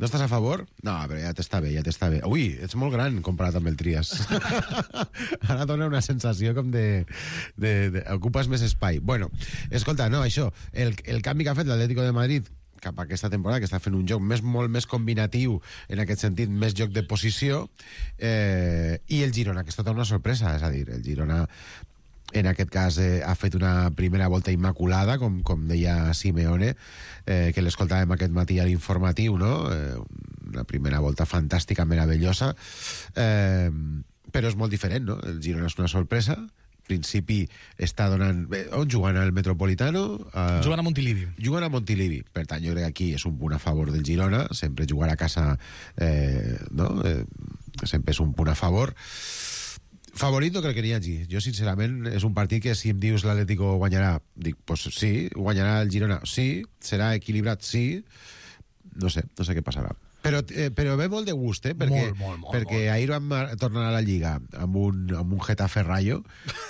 No estàs a favor? No, però ja t'està bé, ja t'està bé. Ui, ets molt gran comparat amb el Trias. Ara dona una sensació com de ocupes més espai. Bueno, escolta, no, això, el canvi que ha fet l'Atlético de Madrid cap a aquesta temporada, que està fent un joc molt més combinatiu, en aquest sentit, més joc de posició, i el Girona, que és tota una sorpresa, és a dir, el Girona en aquest cas ha fet una primera volta immaculada, com deia Simeone, que l'escoltàvem aquest matí a l'informatiu, no? Una primera volta fantàstica, meravellosa, però és molt diferent, no? El Girona és una sorpresa, principi està donant... On juguen al Metropolitano? Juguen a Montilivi. Juguen a Montilivi. Per tant, jo crec que aquí és un punt a favor del Girona. Sempre jugar a casa no? Sempre és un punt a favor. Favorit no crec que n'hi hagi. Jo, sincerament, és un partit que si em dius l'Atlético guanyarà, dic, pues sí, guanyarà el Girona, sí, serà equilibrat, sí. No sé què passarà. Però ve molt de gust, perquè ahir vam tornar a la Lliga amb un Getafe Rayo,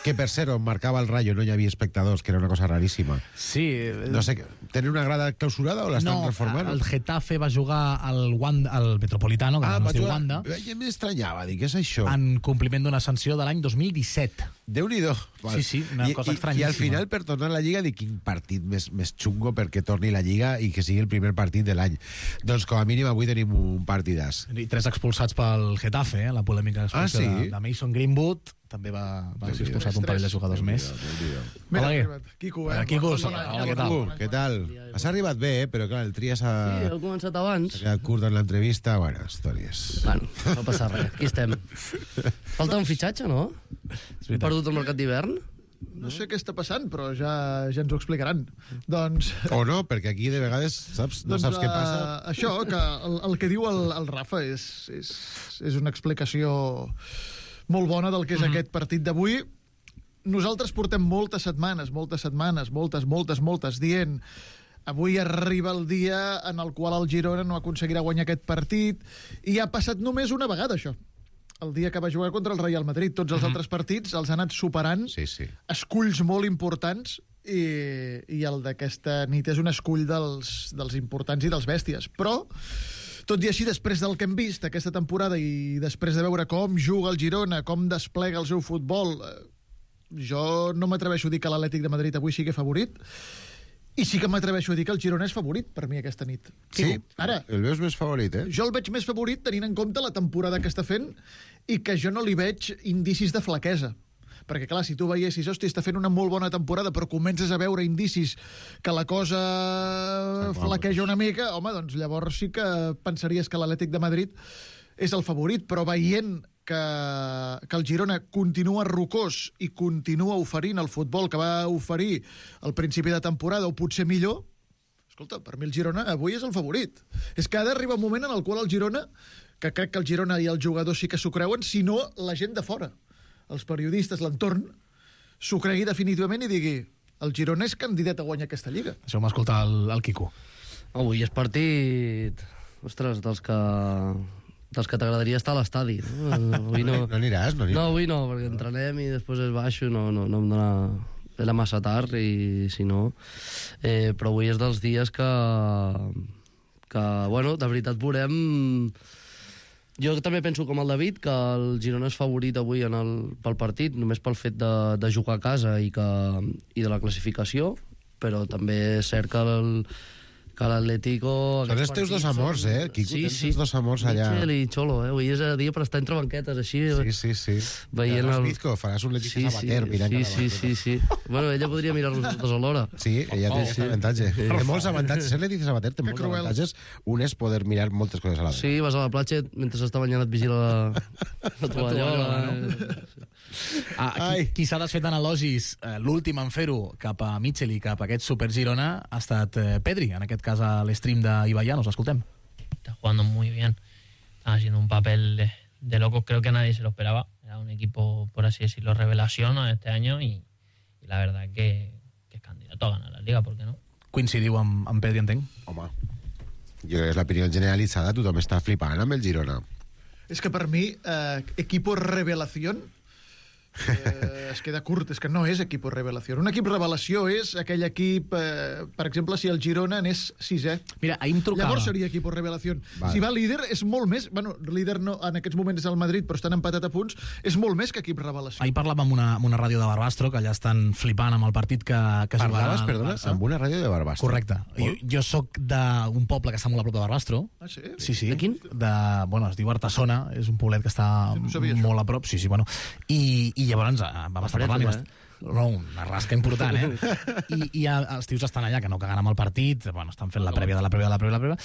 que per ser on marcava el Rayo no hi havia espectadors, que era una cosa raríssima. Sí. No sé, tenen una grada clausurada o l'estan reformant? No, el Getafe va jugar al Metropolitano, que no es diu Wanda. M'estranyava, dic, què és això? En compliment d'una sanció de l'any 2017. Déu-n'hi-do. Sí, una cosa estranyíssima. I al final, per tornar a la Lliga, dic, quin partit més xungo perquè torni la Lliga i que sigui el primer partit de l'any. Doncs com a mínim avui tenim un partidàs. I 3 expulsats pel Getafe, la polèmica expulsió de Mason Greenwood. També va ser expulsat un parell de jugadors més. Mira, Quico, hola, què tal? Has arribat bé, però clar, el Trias Sí, heu començat abans. s'ha quedat curt en l'entrevista. Bueno, històries. Bueno, no passa res, aquí estem. Falta un fitxatge, no? Hem perdut el mercat d'hivern? No sé què està passant, però ja ens ho explicaran. Doncs... O no, perquè aquí de vegades no saps què passa. Això, que el que diu el Rafa és una explicació molt bona del que és aquest partit d'avui. Nosaltres portem moltes setmanes, dient avui arriba el dia en el qual el Girona no aconseguirà guanyar aquest partit, i ha passat només una vegada, això. El dia que va jugar contra el Real Madrid. Tots els altres partits els ha anat superant, esculls molt importants, i el d'aquesta nit és un escull dels importants i dels bèsties. Però, tot i així, després del que hem vist aquesta temporada i després de veure com juga el Girona, com desplega el seu futbol, jo no m'atreveixo a dir que l'Atlètic de Madrid avui sigui favorit, i sí que m'atreveixo a dir que el Girona és favorit per mi aquesta nit. Sí, ara, el veus més favorit, Jo el veig més favorit tenint en compte la temporada que està fent i que jo no li veig indicis de flaquesa. Perquè, clar, si tu veiessis, hòstia, està fent una molt bona temporada, però comences a veure indicis que la cosa flaqueja una mica, home, doncs llavors sí que pensaries que l'Atlètic de Madrid és el favorit, però veient que el Girona continua rocós i continua oferint el futbol que va oferir al principi de temporada, o potser millor, escolta, per mi el Girona avui és el favorit. És que ha d'arribar un moment en el qual el Girona, que crec que el Girona i els jugadors sí que s'ho creuen, si no la gent de fora, els periodistes, l'entorn, s'ho cregui definitivament i digui, el Girona és candidat a guanyar aquesta Lliga. Això m'ha escoltat el Quico. Avui és partit, ostres, dels que t'agradaria estar a l'estadi. No aniràs? No, avui no, perquè entrenem i després es baixo, no em dona... Era massa tard i si no... Però avui és dels dies que bueno, de veritat veurem... Jo també penso com el David que el Girona és favorit avui pel partit, només pel fet de jugar a casa i de la classificació, però també és cert que l'Atlético... Són els teus dos amors, Quico, tens els dos amors allà. Michel i Cholo, avui és el dia per estar entre banquetes, així... Sí. Veient el... Bizco, faràs un Leticia Sabater mirant cada banqueta. Sí. Bueno, ella podria mirar-los tots alhora. Sí, ella té aquest avantatge. Té molts avantatges. Ser Leticia Sabater té molts avantatges. Un és poder mirar moltes coses a la vegada. Sí, vas a la platja, mentre s'està banyant et vigila la tovallola. Qui s'ha desfet en elogis, l'últim en fer-ho cap a Michel i cap a aquest Super Girona ha estat Pedri, en aquest cas a l'stream d'Ibaia, nos escoltem. Está jugando muy bien, está haciendo un papel de locos, creo que nadie se lo esperaba, era un equipo, por así decirlo, revelación este año y la verdad que es candidato a ganar la Liga, ¿por qué no? Coincidiu amb Pedri, entenc? Home, jo crec que és l'opinió generalitzada, tothom està flipant amb el Girona. És que per mi, equipo revelación Es queda curt, és que no és equip revelació. Un equip revelació és aquell equip, per exemple, si el Girona anés 6è. Mira, ahir em trucava. Llavors seria equip revelació. Vale. Si va líder, és molt més... Bueno, líder no, en aquests moments és el Madrid, però estan empatat a punts. És molt més que equip revelació. Ahir parlava amb una ràdio de Barbastro, que allà estan flipant amb el partit que jugarà Parlaves, el perdona, Barça. amb una ràdio de Barbastro. Correcte. Jo soc d'un poble que està molt a prop de Barbastro. Ah, sí? Sí. De quin? Bueno, es diu Artesona, és un poblet que està no sabia això. molt a prop. Sí, bueno. I llavors vam estar parlant... No, una rasca important, I els tios estan allà, que no caguen amb el partit, bueno, estan fent la prèvia de la prèvia,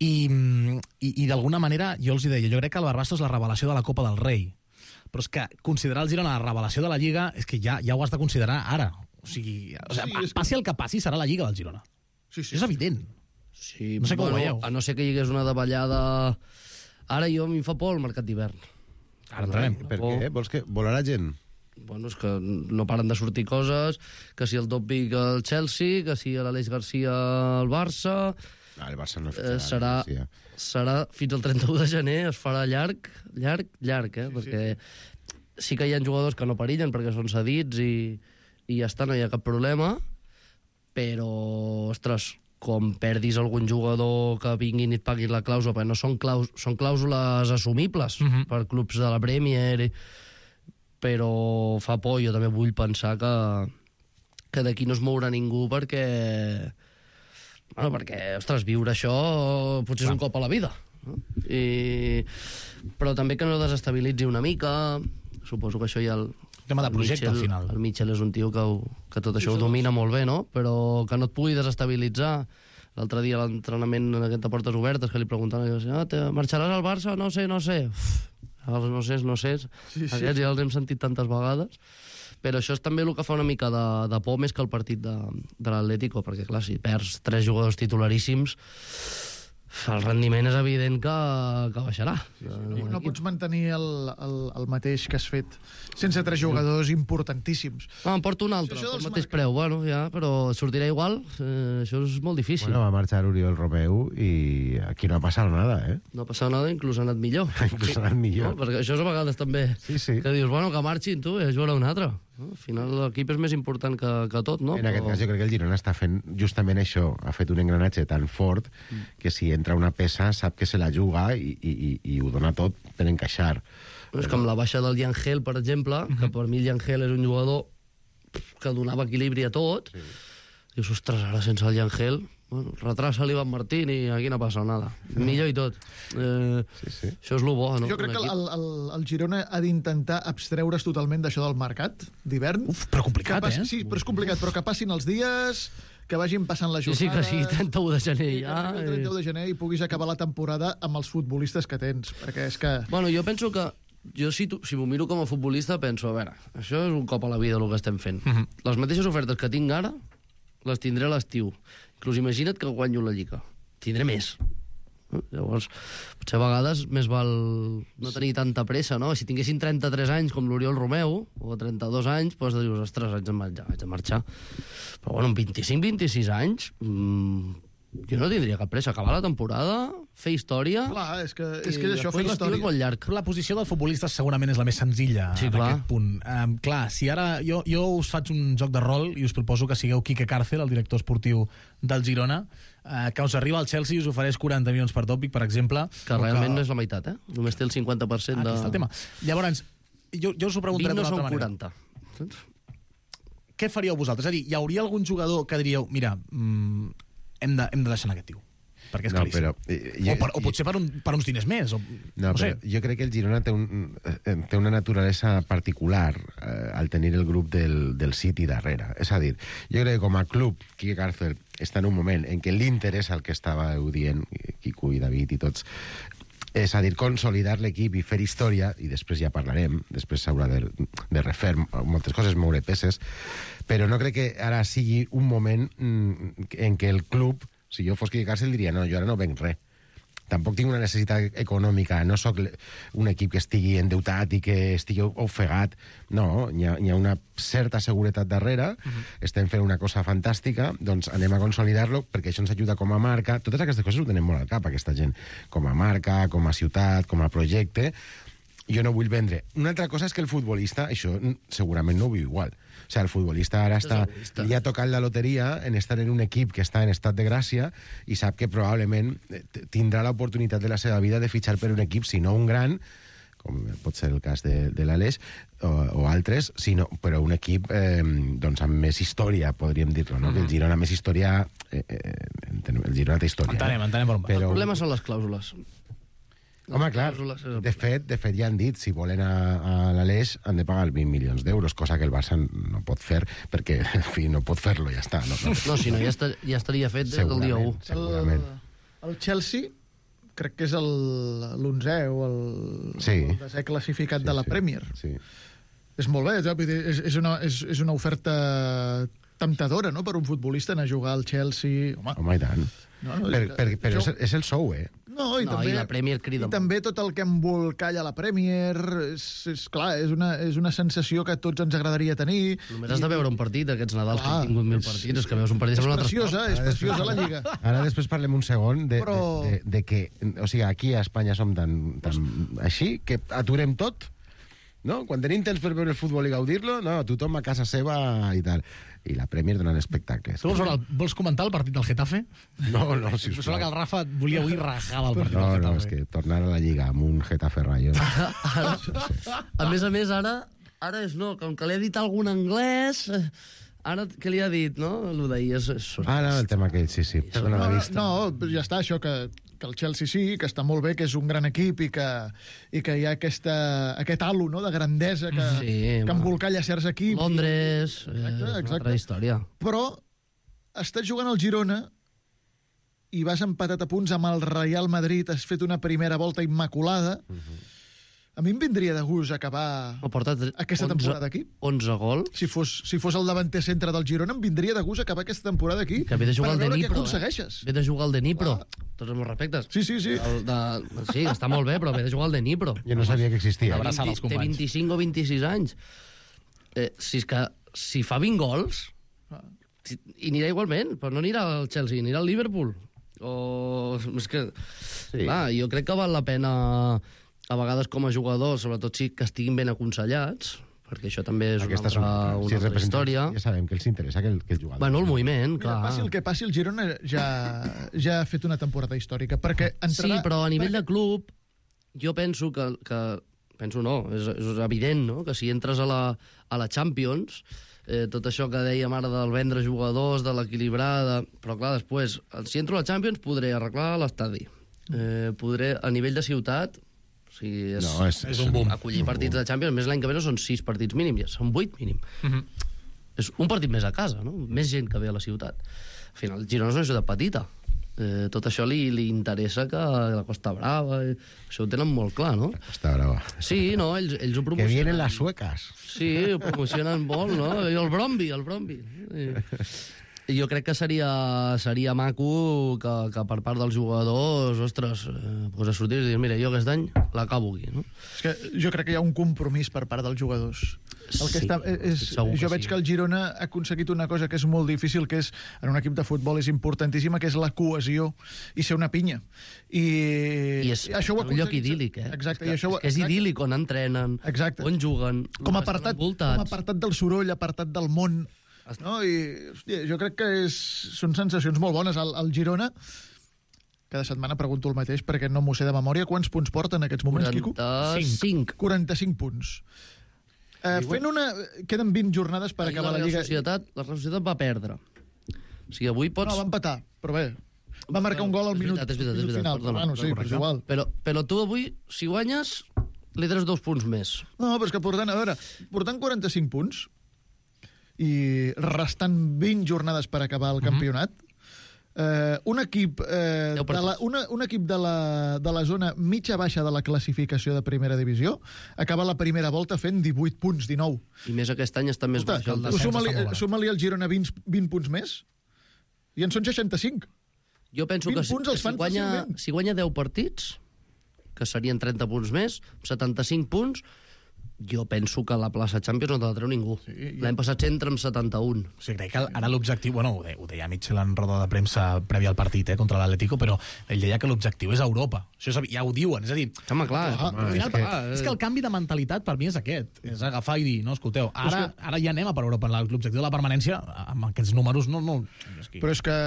i d'alguna manera jo els hi deia, jo crec que el Barbastro és la revelació de la Copa del Rei, però és que considerar el Girona la revelació de la Lliga és que ja ho has de considerar ara. O sigui, passi el que passi, serà la Lliga del Girona. Sí. És evident. Sí, No sé com ho veieu. a no ser que hi hagués una davallada... Ara a mi em fa por el mercat d'hivern. Ara entrarem. Per què? Vols que volarà gent? Bueno, és que no paren de sortir coses, que si el Dobbik al Chelsea, que si l'Aleix Garcia al Barça... El Barça no fitxarà. serà fins al 31 de gener, es farà llarg, perquè sí que hi ha jugadors que no perillen perquè són cedits i ja està, no hi ha cap problema, però, ostres, com perdis algun jugador que vinguin i et paguin la clàusula, perquè no són clàusules assumibles per clubs de la Premier, però fa por. Jo també vull pensar que d'aquí no es mourà ningú perquè, ostres, viure això potser és un cop a la vida, no? Però també que no desestabilitzi una mica. Suposo que això ja Tema de projecte, al final. El Mitchell és un tio que tot això ho domina molt bé, no? Però que no et pugui desestabilitzar. L'altre dia a l'entrenament en aquest de portes obertes que li preguntaven, marxaràs al Barça? No sé. Els no sé. Aquests ja els hem sentit tantes vegades. Però això és també el que fa una mica de por més que el partit de l'Atlético, perquè clar, si perds 3 jugadors titularíssims, el rendiment és evident que baixarà. No pots mantenir el mateix que has fet sense 3 jugadors importantíssims. Em porto un altre, Això pel dels mateix preu, bueno, ja, però sortirà igual. Això és molt difícil. Bueno, va marxar Oriol Romeu i aquí no ha passat nada, No ha passat nada, inclús ha anat millor. Inclús ha anat millor. No? Perquè això és a vegades també Sí. que dius, bueno, que marxin tu i jugarà un altre. No? Al final l'equip és més important que tot, no? En aquest cas jo crec que el Girona està fent justament això, ha fet un engranatge tan fort que si entra una peça sap que se la juga i ho dona tot per encaixar. És com la baixa del Yangel, per exemple, que per mi el Yangel és un jugador que donava equilibri a tot. Dius, ostres, ara sense el Yangel, bueno, retrasa l'Ivan Martín i aquí no passa nada. Millor i tot. Sí. Això és lo bo, no? Jo crec que el Girona ha d'intentar abstreure's totalment d'això del mercat d'hivern. Però complicat, Sí, però és complicat, però que passin els dies, que vagin passant les Sí, jornades... que sí, 31 de gener que ja. arribi el 31 de gener i puguis acabar la temporada amb els futbolistes que tens, perquè és que... Bueno, jo penso que jo si m'ho miro com a futbolista penso, a veure, això és un cop a la vida el que estem fent. Les mateixes ofertes que tinc ara les tindré a l'estiu. Inclús imagina't que guanyo la Lliga. Tindré més. Llavors, potser a vegades més val no tenir tanta pressa, no? Si tinguessin 33 anys com l'Oriol Romeu, o 32 anys, doncs dius, ostres, haig de marxar. Però bueno, amb 25-26 anys, jo no tindria cap pressa. Acabar la temporada, fer història... Clar, és que i això fa després l'estiu és molt història. llarg. La posició del futbolista segurament és la més senzilla Sí, en clar. aquest punt. Clar, si ara jo us faig un joc de rol i us proposo que sigueu Quique Cárcel, el director esportiu del Girona, que us arriba al Chelsea i us ofereix 40 milions per Topic, per exemple. Que realment no és la meitat, Només té el 50% de... Aquí està el tema. Llavors, jo us ho preguntaré 20 no d'una són altra manera. 40. Saps? Què faríeu vosaltres? És a dir, hi hauria algun jugador que diríeu, mira, hem de deixar anar aquest tio, perquè és caríssim. O potser per uns diners més. No, sé. però jo crec que el Girona té una naturalesa particular al tenir el grup del City darrere. És a dir, jo crec que com a club, Quique Cárcel està en un moment en què l'interès el que estàveu dient, Quico i David i tots, és a dir, consolidar l'equip i fer història, i després ja parlarem, després s'haurà de refer moltes coses, moure peces, però no crec que ara sigui un moment en què el club, si jo fos Quique Cárcel diria, no, jo ara no venc res. Tampoc tinc una necessitat econòmica, no sóc un equip que estigui endeutat i que estigui ofegat. No, hi ha una certa seguretat darrere, estem fent una cosa fantàstica, doncs anem a consolidar-lo, perquè això ens ajuda com a marca. Totes aquestes coses ho tenem molt al cap, aquesta gent. Com a marca, com a ciutat, com a projecte. jo no vull vendre. Una altra cosa és que el futbolista, això segurament no ho viu igual. O sigui, el futbolista ara li ha tocat la loteria en estar en un equip que està en estat de gràcia i sap que probablement tindrà l'oportunitat de la seva vida de fitxar per un equip, si no un gran, com pot ser el cas de l'Aleix o altres, però un equip doncs amb més història, podríem dir-lo, no? Que el Girona més història... el Girona té història. Entenem per on va. El problema són les clàusules. Home, clar, de fet ja han dit, si volen a l'Aleix han de pagar 20 milions d'euros, cosa que el Barça no pot fer, perquè, en fi, no pot fer-lo, ja està. No, si no, ja estaria fet des del dia 1. Segurament. El Chelsea crec que és l'11è o el 10è classificat de la Premier. Sí. És molt bé, és una oferta temptadora, no?, per un futbolista anar a jugar al Chelsea. Home, i tant. Però és el sou, No, i la Premier crida. I també tot el que embolcalla la Premier, és clar, és una sensació que a tots ens agradaria tenir. Només has de veure un partit, aquests Nadals que han tingut 1.000 partits, és que veus un partit... És preciosa la Lliga. Ara després parlem un segon de que, o sigui, aquí a Espanya som tan així, que aturem tot, no? Quan tenim temps per veure el futbol i gaudir-lo, no, tothom a casa seva i tal. I la Premier donant espectacles. Tu vols comentar el partit del Getafe? No, sisplau. Sembla que el Rafa volia avui rajar el partit del Getafe. No, és que tornar a la Lliga amb un Getafe Rayo... A més, ara és no, com que li ha dit algun anglès... Ara, què li ha dit, no? Allò d'ahir és... no, el tema aquell, sí. Perdona la vista. No, ja està, això que el Chelsea sí, que està molt bé, que és un gran equip i que hi ha aquest halo, no?, de grandesa que embolcalla certs equips. Londres, exacte. Una altra història. Però estàs jugant al Girona i vas empatat a punts amb el Real Madrid, has fet una primera volta immaculada. A mi em vindria de gust acabar aquesta temporada aquí. 11 gols. Si fos el davanter centre del Girona, em vindria de gust acabar aquesta temporada aquí. Que ve de jugar al de Nipro. Què aconsegueixes. Ve de jugar al de Nipro. Tots els meus respectes. Sí. Sí, està molt bé, però ve de jugar al de Nipro. Jo no sabia que existia. Abraçant els companys. Té 25 o 26 anys. Si fa 20 gols, i anirà igualment, però no anirà al Chelsea, anirà al Liverpool. És que, clar, jo crec que val la pena... a vegades com a jugadors, sobretot si que estiguin ben aconsellats, perquè això també és una altra història. Ja sabem que els interessa que el jugador... Bueno, el moviment, clar. Passi el que passi, el Girona ja ha fet una temporada històrica, perquè entrarà... Sí, però a nivell de club, jo penso que penso no, és evident, no?, que si entres a la Champions, tot això que dèiem ara del vendre jugadors, de l'equilibrar, però clar, després, si entro a la Champions podré arreglar l'estadi. Podré, a nivell de ciutat... O sigui, és un boom. Acollir partits de Champions, més l'any que ve no són 6 partits mínim, ja són 8 mínim. És un partit més a casa, no? Més gent que ve a la ciutat. Al final, Girona és una ciutat petita. Tot això li interessa que la Costa Brava... Això ho tenen molt clar, no? La Costa Brava. Sí, no, ells ho promocionen. Que vienen las suecas. Sí, ho promocionen molt, no? I el Bromby. Jo crec que seria maco que per part dels jugadors, ostres, a sortir i dir, mira, jo aquest any l'acabo aquí, no? És que jo crec que hi ha un compromís per part dels jugadors. Jo veig que el Girona ha aconseguit una cosa que és molt difícil, que és, en un equip de futbol és importantíssima, que és la cohesió i ser una pinya. I és un lloc idíl·lic, eh? Exacte. És que és idíl·lic on entrenen, on juguen, com a apartat del soroll, apartat del món. No? I hòstia, jo crec que són sensacions molt bones. El Girona, cada setmana pregunto el mateix perquè no m'ho sé de memòria, quants punts porta en aquests moments, 45. Quico? 45 punts. Queden 20 jornades per acabar la Lliga. La Real Societat va perdre. O sigui, avui pots... No, va empatar, però bé. Va marcar un gol al minut final. Bueno, sí, però és igual. Però tu avui, si guanyes, li treus 2 punts més. No, però és que portant 45 punts i restant 20 jornades per acabar el campionat, un equip de la zona mitja-baixa de la classificació de primera divisió acaba la primera volta fent 18 punts, 19. I més aquest any està més baix. Suma-li al Girona 20 punts més i en són 65. Jo penso que si guanya 10 partits, que serien 30 punts més, 75 punts, Jo penso que la plaça Champions no te la treu ningú. L'any passat entra amb 71. O sigui, crec que ara l'objectiu... Bueno, ho deia Mitchell en roda de premsa prèvia al partit contra l'Atlético, però ell deia que l'objectiu és Europa. Això ja ho diuen, és a dir... Home, clar. Al final, és que el canvi de mentalitat per mi és aquest. És agafar i dir, no, escolteu, ara ja anem a per Europa. L'objectiu de la permanència, amb aquests números, no... Però és que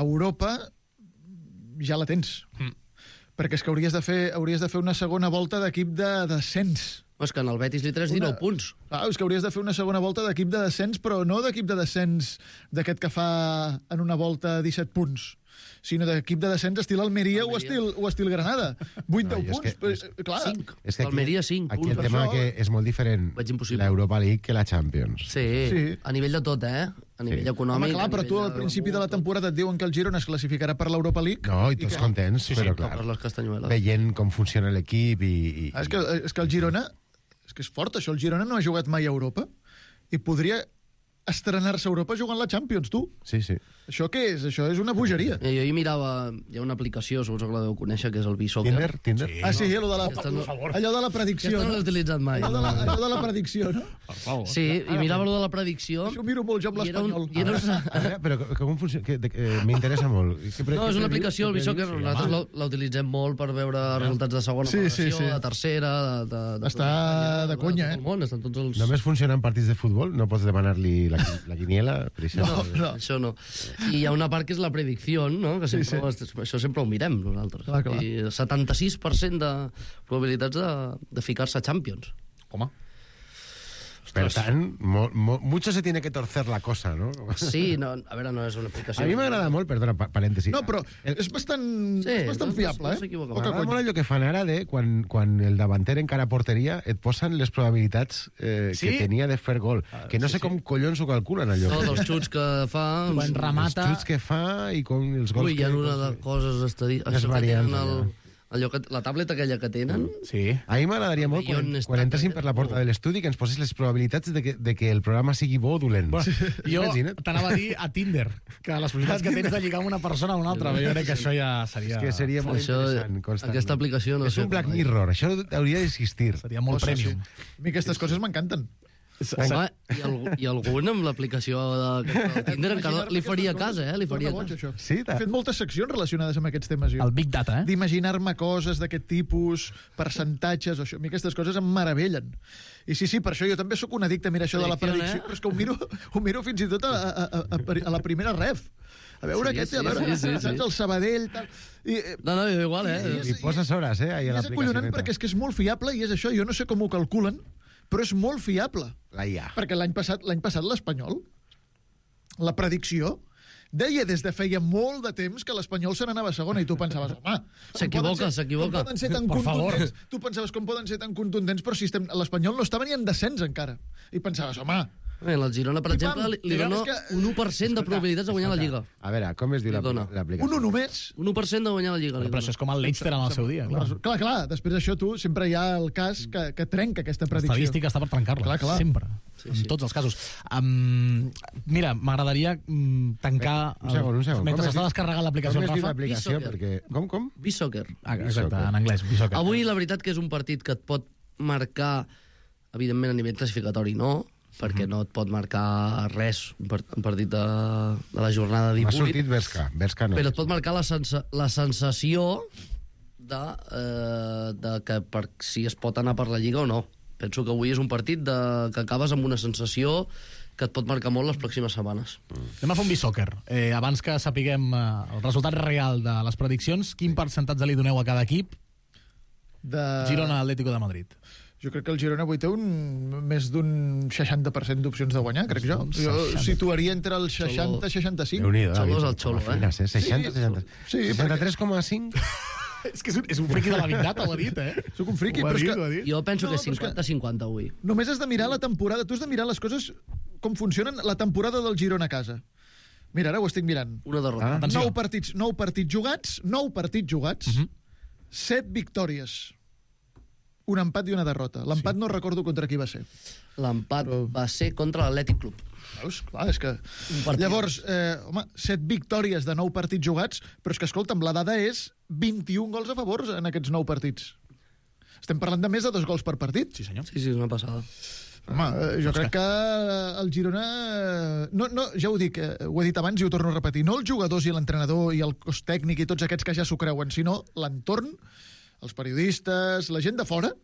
Europa ja la tens. Perquè és que hauries de fer una segona volta d'equip de descens. És que en el Betis li tres 19 punts. És que hauries de fer una segona volta d'equip de descens, però no d'equip de descens d'aquest que fa en una volta 17 punts, sinó d'equip de descens estil Almeria o estil Granada. 8-10 punts. Clar. 5. És que Almeria 5 aquí punts. el tema que és molt diferent Veig impossible. l'Europa League que la Champions. Sí, a nivell de tot, A nivell econòmic. Home, clar, però tu al principi de la temporada et diuen que el Girona es classificarà per l'Europa League. No, i tots contents, però clar, Per les castanyueles. veient com funciona l'equip i... És que el Girona... És que és fort, això. El Girona no ha jugat mai a Europa i podria estrenar-se a Europa jugant la Champions, tu. Sí. Això què és? Això és una bogeria. Jo hi mirava... Hi ha una aplicació, suposo que la deu conèixer, que és el B-Soccer. Tinder? Sí, allò de la predicció. Aquesta no l'he utilitzat mai. Allò de la predicció, no? Per favor. Sí, i mirava allò de la predicció. Això ho miro molt jo amb l'espanyol. A veure, però com funciona? M'interessa molt. No, és una aplicació, el B-Soccer, nosaltres la utilitzem molt per veure resultats de segona federació, de tercera, Està de conya, tot el món, estan tots els... Només funciona en partits de futbol? No pots demanar-li la quiniela? Per exemple? No, això no. I hi ha una part que és la predicció, no? Que sempre, això sempre ho mirem nosaltres. Clar. I 76% de probabilitats de ficar-se a Champions. Home. Per tant, mucho se tiene que torcer la cosa, ¿no? Sí, no, a veure, no és una aplicació. A mi m'agrada molt, perdona, parèntesi. No, però és bastant fiable, no s'equivoca. M'agrada molt allò que fan ara de quan el davanter encara a porteria et posen les probabilitats que tenia de fer gol. Que no sé com collons ho calculen, allò. No, dels xuts que fa... Quan remata... Els xuts que fa i com els gols Ui, hi ha una de coses estadístiques. La tableta aquella que tenen... Sí. A mi m'agradaria molt quan entressin per la porta de l'estudi que ens posés les probabilitats de que el programa sigui bo o dolent. Bueno, jo t'anava a dir a Tinder, que les possibilitats que tens de lligar amb una persona a una altra, jo crec que això ja seria... És que seria molt interessant. Aquesta aplicació no sé... És un Black Mirror, això hauria d'existir. Seria molt premium. A mi aquestes coses m'encanten. Home, i algun amb l'aplicació de Tinder encara li faria cas, li faria cas. Sí, he fet moltes seccions relacionades amb aquests temes. El Big Data, D'imaginar-me coses d'aquest tipus, percentatges, això. A mi aquestes coses em meravellen. I sí, per això jo també sóc un addicte a mirar això de la predicció, però és que ho miro fins i tot a la primera ref. A veure saps, el Sabadell... Tal. No, igual, I poses hores, ahí a l'aplicació. És acollonant perquè és que és molt fiable i és això, jo no sé com ho calculen, però és molt fiable. La IA. Perquè l'any passat l'Espanyol, la predicció, deia des de feia molt de temps que l'Espanyol se n'anava a segona i tu pensaves, home... S'equivoca. Com poden ser tan contundents? Tu pensaves com poden ser tan contundents, però si l'Espanyol no estava ni en descens encara. I pensaves, home... El Girona, per exemple, li dona un 1% de probabilitats de guanyar la Lliga. A veure, com es diu l'aplicació? Un 1 només? Un 1% de guanyar la Lliga. Però això és com el Leicester en el seu dia. Clar. Després d'això, tu, sempre hi ha el cas que trenca aquesta predicció. L'estadística està per trencar-la. Clar. Sempre. En tots els casos. Mira, m'agradaria tancar... Un segon. Mentre s'està descarregant l'aplicació, Rafa. Com es diu l'aplicació? Com? B-Soccer. Exacte, en anglès, B-Soccer. Avui, la veritat que és un partit que et pot marcar, evidentment, a nivell classificatori, no? Perquè no et pot marcar res un partit de la jornada 18. M'ha sortit Berska no. Però et pot marcar la sensació de que si es pot anar per la Lliga o no. Penso que avui és un partit que acabes amb una sensació que et pot marcar molt les pròximes setmanes. Anem a fer un B-Soccer. Abans que sapiguem el resultat real de les prediccions, quin percentatge li doneu a cada equip? Girona Atlético de Madrid. Jo crec que el Girona avui té més d'un 60% d'opcions de guanyar, crec jo. Jo situaria entre el 60 i 65. Déu-n'hi-do, Xolo és el Xolo, 60. Sí, 63,5. És que és un friqui de la Big Data, ho ha dit, Soc un friqui, però és que... Jo penso que 50-50 avui. Només has de mirar la temporada, tu has de mirar les coses com funcionen la temporada del Girona a casa. Mira, ara ho estic mirant. Una derrota. 9 partits jugats, 7 victòries. Un empat i una derrota. L'empat no recordo contra qui va ser. L'empat va ser contra l'Atlètic Club. Veus? Clar, és que... Llavors, 7 victòries de 9 partits jugats, però és que, escolta'm, la dada és 21 gols a favor en aquests 9 partits. Estem parlant de més de 2 gols per partit. Sí, senyor. Sí, és una passada. Home, jo crec que el Girona... No, ja ho dic, ho he dit abans i ho torno a repetir. No els jugadors i l'entrenador i el cos tècnic i tots aquests que ja s'ho creuen, sinó l'entorn, els periodistes, la gent de fora,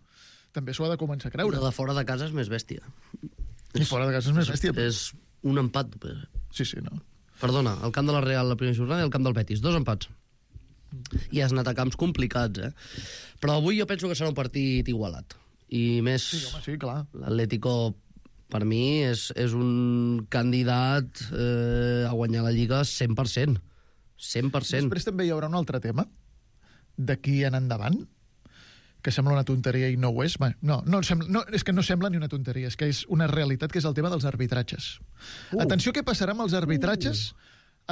també s'ho ha de començar a creure. Però de fora de casa és més bèstia. I fora de casa és més bèstia. És un empat. Sí, no. Perdona, el camp de la Real la primera jornada i el camp del Betis. 2 empats. I has anat a camps complicats, Però avui jo penso que serà un partit igualat. I més... Sí, home, sí, clar. L'Atlético, per mi, és un candidat a guanyar la Lliga 100%. 100%. Després també hi haurà un altre tema d'aquí en endavant, que sembla una tonteria i no ho és. No, és que no sembla ni una tonteria, és que és una realitat, que és el tema dels arbitratges. Atenció què passarà amb els arbitratges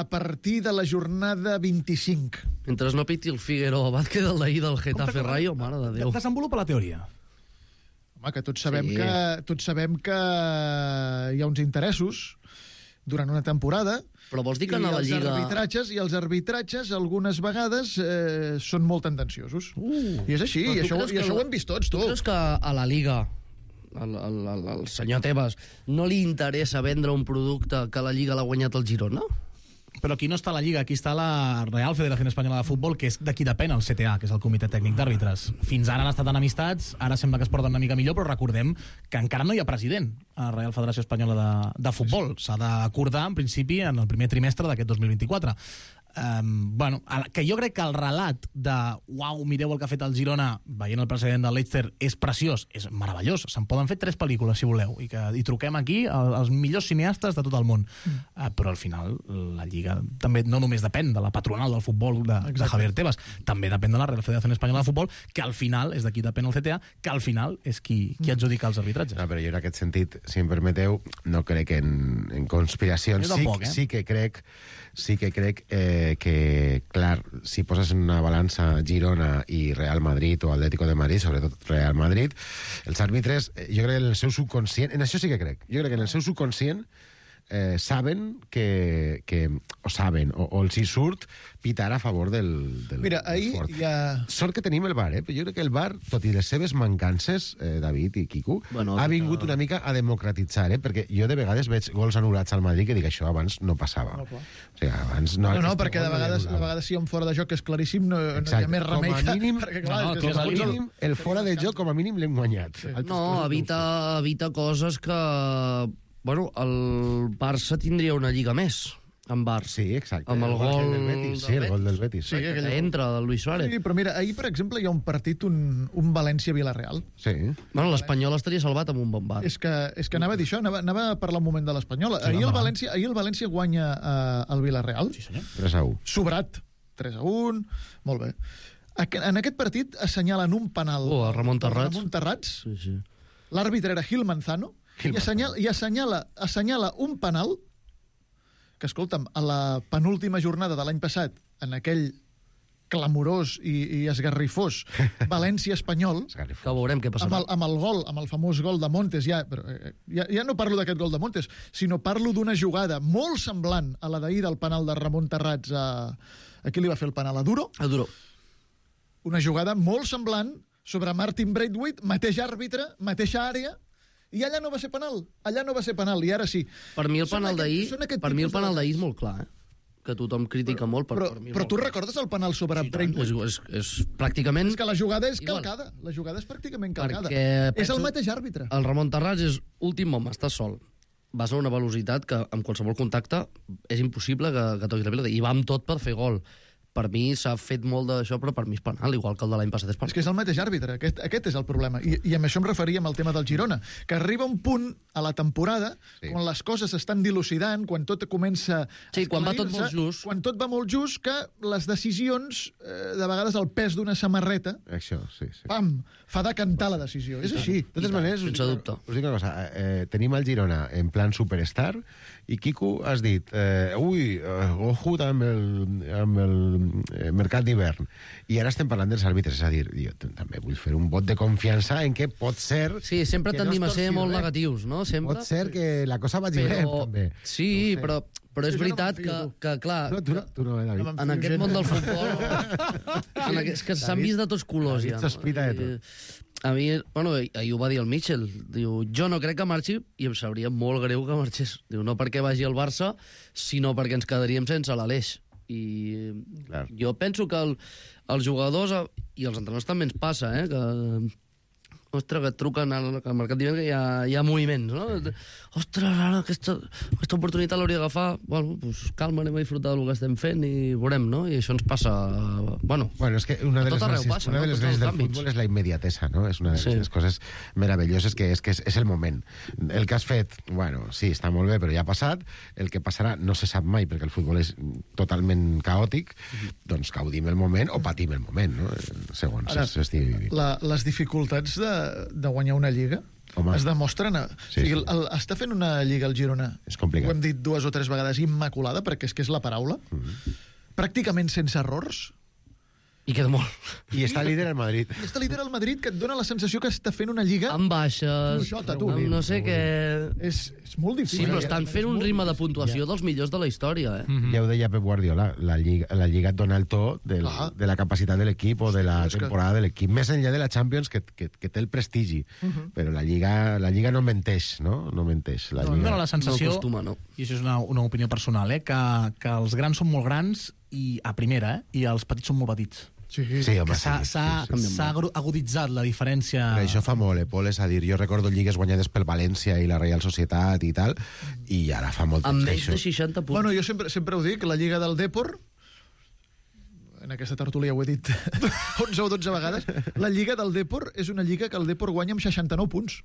a partir de la jornada 25. Mentre no piti el Figueroa Vázquez del d'ahir del Getafe Rayo, mare de Déu. Desenvolupa la teoria. Home, que tots sabem, Sí. tots sabem que hi ha uns interessos durant una temporada. Però vols dir que a la Lliga... I els arbitratges algunes vegades són molt tendenciosos. I és així, i això ho hem vist tots, tu. Tu creus que a la Liga al senyor Tebas no li interessa vendre un producte que la Lliga l'ha guanyat el Girona? Però aquí no està la Lliga, aquí està la Real Federació Espanyola de Futbol, que és de qui depèn el CTA, que és el Comitè Tècnic d'Àrbitres. Fins ara han estat enemistats, ara sembla que es porten una mica millor, però recordem que encara no hi ha president a la Real Federació Espanyola de Futbol. S'ha d'acordar, en principi, en el primer trimestre d'aquest 2024. Que jo crec que el relat de uau, mireu el que ha fet el Girona veient el precedent del Leicester és preciós, és meravellós, se'n poden fer 3 pel·lícules si voleu, i truquem aquí als millors cineastes de tot el món, però al final la Lliga també no només depèn de la patronal del futbol de Javier Tebas, també depèn de la Real Federació Espanyola de Futbol, que al final és de qui depèn el CTA, que al final és qui adjudica els arbitratges. No, però jo en aquest sentit, si em permeteu, no crec en conspiracions. Jo tampoc, sí que crec que, clar, si poses en una balança Girona i Real Madrid o Atlético de Madrid, sobretot Real Madrid, els àrbitres, jo crec que en el seu subconscient, en això sí que crec, jo crec que en el seu subconscient saben o els hi surt pitar a favor del Mira, ahir fort. ja... Sort que tenim el VAR, però jo crec que el VAR, tot i les seves mancances, David i Quico, ha vingut una mica a democratitzar, perquè jo de vegades veig gols anul·lats al Madrid que dic això abans no passava. O sigui, abans No, perquè de vegades si hi ha un fora de joc que és claríssim, no hi ha més remei que... Perquè, clar, el fora de joc, com a mínim, l'hem guanyat. No, evita coses que... Bueno, el Barça tindria una lliga més, amb VAR. Sí, exacte. Amb el gol del Betis. Sí, el gol del Betis. Sí, que entra del Luis Suárez. Sí, però mira, ahir, per exemple, hi ha un partit, un València-Villarreal. Sí. Bueno, l'Espanyol estaria salvat amb un bon VAR. És que anava a dir això, anava a parlar un moment de l'Espanyola. Ahir el València guanya el Villarreal. Sí, senyor. 3-1. Sobrat. 3-1. Molt bé. En aquest partit assenyalen un penal a Ramon Terrats. Sí. Sí. L'àrbitre era Gil Manzano. I assenyala un penal que, escolta'm, a la penúltima jornada de l'any passat, en aquell clamorós i esgarrifós València-Espanyol, Que veurem què passarà. amb el famós gol de Montes, ja no parlo d'aquest gol de Montes, sinó parlo d'una jugada molt semblant a la d'ahir del penal de Ramon Terrats a qui li va fer el penal? A Duro? A Duro. Una jugada molt semblant sobre Martin Braithwaite, mateix àrbitre, mateixa àrea, i allà no va ser penal, i ara sí. Per mi el penal d'ahir és molt clar, que tothom critica molt. Però tu recordes el penal sobre Braithwaite? És pràcticament... És que la jugada és igual. calcada. La jugada és pràcticament calcada. Perquè És el mateix àrbitre. El Ramon Terrats és últim home, està sol. Vas a una velocitat que amb qualsevol contacte és impossible que toqui la pilota. I va amb tot per fer gol. Per mi s'ha fet molt d'això, però per mi és penal, igual que el de l'any passat és penal. És que és el mateix àrbitre, aquest és el problema. I amb això em referia amb el tema del Girona, que arriba un punt a la temporada, quan les coses s'estan dilucidant, quan tot comença... Sí, quan va tot molt just. Quan tot va molt just, que les decisions, de vegades el pes d'una samarreta, Això, sí. pam, fa decantar la decisió. És així. De totes maneres, sense dubte. Us dic una cosa, tenim el Girona en plan superstar i Quico has dit, ojo amb el mercat d'hivern, i ara estem parlant dels àrbitres, és a dir, jo també vull fer un vot de confiança en què pot ser... Sí, sempre tendim a ser molt negatius, no? Sempre. Pot ser que la cosa vagi bé, també. Sí, no però és veritat que, clar... No, tu no, David. En aquest món del futbol... És que s'han vist de tots colors, ja. David sospita de tot. A mi, bueno, ahir ho va dir el Mitchell, diu, jo no crec que marxi i em sabria molt greu que marxés. Diu, no perquè vagi al Barça, sinó perquè ens quedaríem sense l'Aleix. I clar, jo penso que els jugadors i els entrenadors també ens passa, que... Ostres, que et truquen al mercat d'hivern que hi ha moviments, no? Ostres, ara aquesta oportunitat l'hauria d'agafar. Bueno, doncs calma, anem a disfrutar del que estem fent i veurem, no? I això ens passa... Bueno, és que una de les gràcies del futbol és la immediatesa, no? És una de les coses meravelloses que és el moment. El que has fet, bueno, sí, està molt bé, però ja ha passat. El que passarà no se sap mai, perquè el futbol és totalment caòtic. Doncs gaudim el moment o patim el moment, no? Segons s'estigui vivint. Les dificultats de guanyar una lliga es demostren... Sí, està fent una lliga al Girona, és complicat. ho hem dit 2 o 3 vegades, immaculada, perquè és que és la paraula, pràcticament sense errors, i queda molt. I està líder al Madrid. I està líder al Madrid, que et dona la sensació que està fent una lliga... Amb baixes, fluixota, tu. amb no sé què... És molt difícil. Sí, però estan fent un ritme de puntuació dels millors de la història, Ja ho deia Pep Guardiola, la Lliga et dona el to de la capacitat de l'equip o de la temporada de l'equip, més enllà de la Champions, que té el prestigi. Però la Lliga no menteix, no? No menteix. Em dona la sensació, no. i això és una opinió personal, que els grans són molt grans i a primera, i els petits són molt petits. Sí, home, s'ha aguditzat la diferència... Però això fa molt, Pol, és a dir, jo recordo lligues guanyades pel València i la Reial Societat i tal, i ara fa molt temps amb que menys de 60 punts. Bueno, jo sempre ho dic, la Lliga del Depor, en aquesta tertúlia ho he dit 11 o 12 vegades, la Lliga del Depor és una lliga que el Depor guanya amb 69 punts.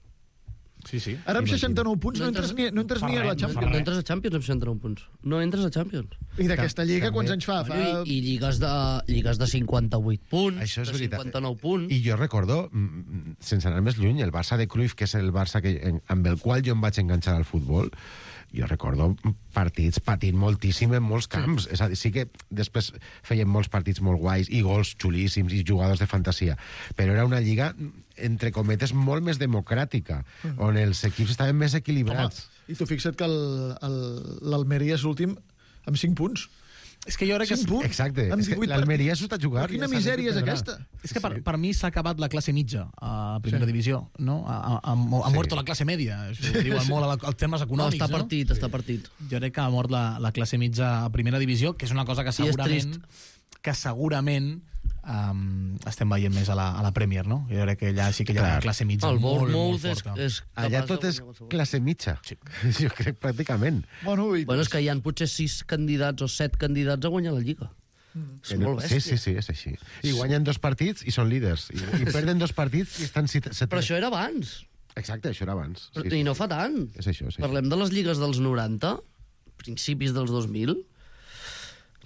Sí. Ara amb 69 punts no entres ni a la Champions. No entres a Champions amb 69 punts. No entres a Champions. I d'aquesta lliga quants anys fa? I lligues de 58 punts, això és de veritat. 59 punts. I jo recordo, sense anar més lluny, el Barça de Cruyff, que és el Barça amb el qual jo em vaig enganxar al futbol, jo recordo partits patint moltíssim en molts camps. És a dir, sí que després feien molts partits molt guais i gols xulíssims i jugadors de fantasia, però era una lliga, entre cometes, molt més democràtica, on els equips estaven més equilibrats. Home, i tu fixa't que l'Almeria és l'últim amb 5 punts. És que jo crec que... Exacte. L'Almeria s'ho està jugant. Quina misèria és aquesta? És que per mi s'ha acabat la classe mitja a primera divisió, no? Ha mort la classe media, això ho diuen molt als termes econòmics, no? Està partit. Jo crec que ha mort la classe mitja a primera divisió, que és una cosa que segurament estem veient més a la Premier, no? Jo crec que allà sí que hi ha una classe mitja molt forta. Allà tot és classe mitja. Sí. Jo crec pràcticament. Bueno, és que hi ha potser 6 candidats o 7 candidats a guanyar la Lliga. És molt bèstia. Sí, és així. I guanyen 2 partits i són líders. I perden 2 partits i estan... Però això era abans. Exacte, això era abans. I no fa tant. És això. Parlem de les lligues dels 90, principis dels 2000...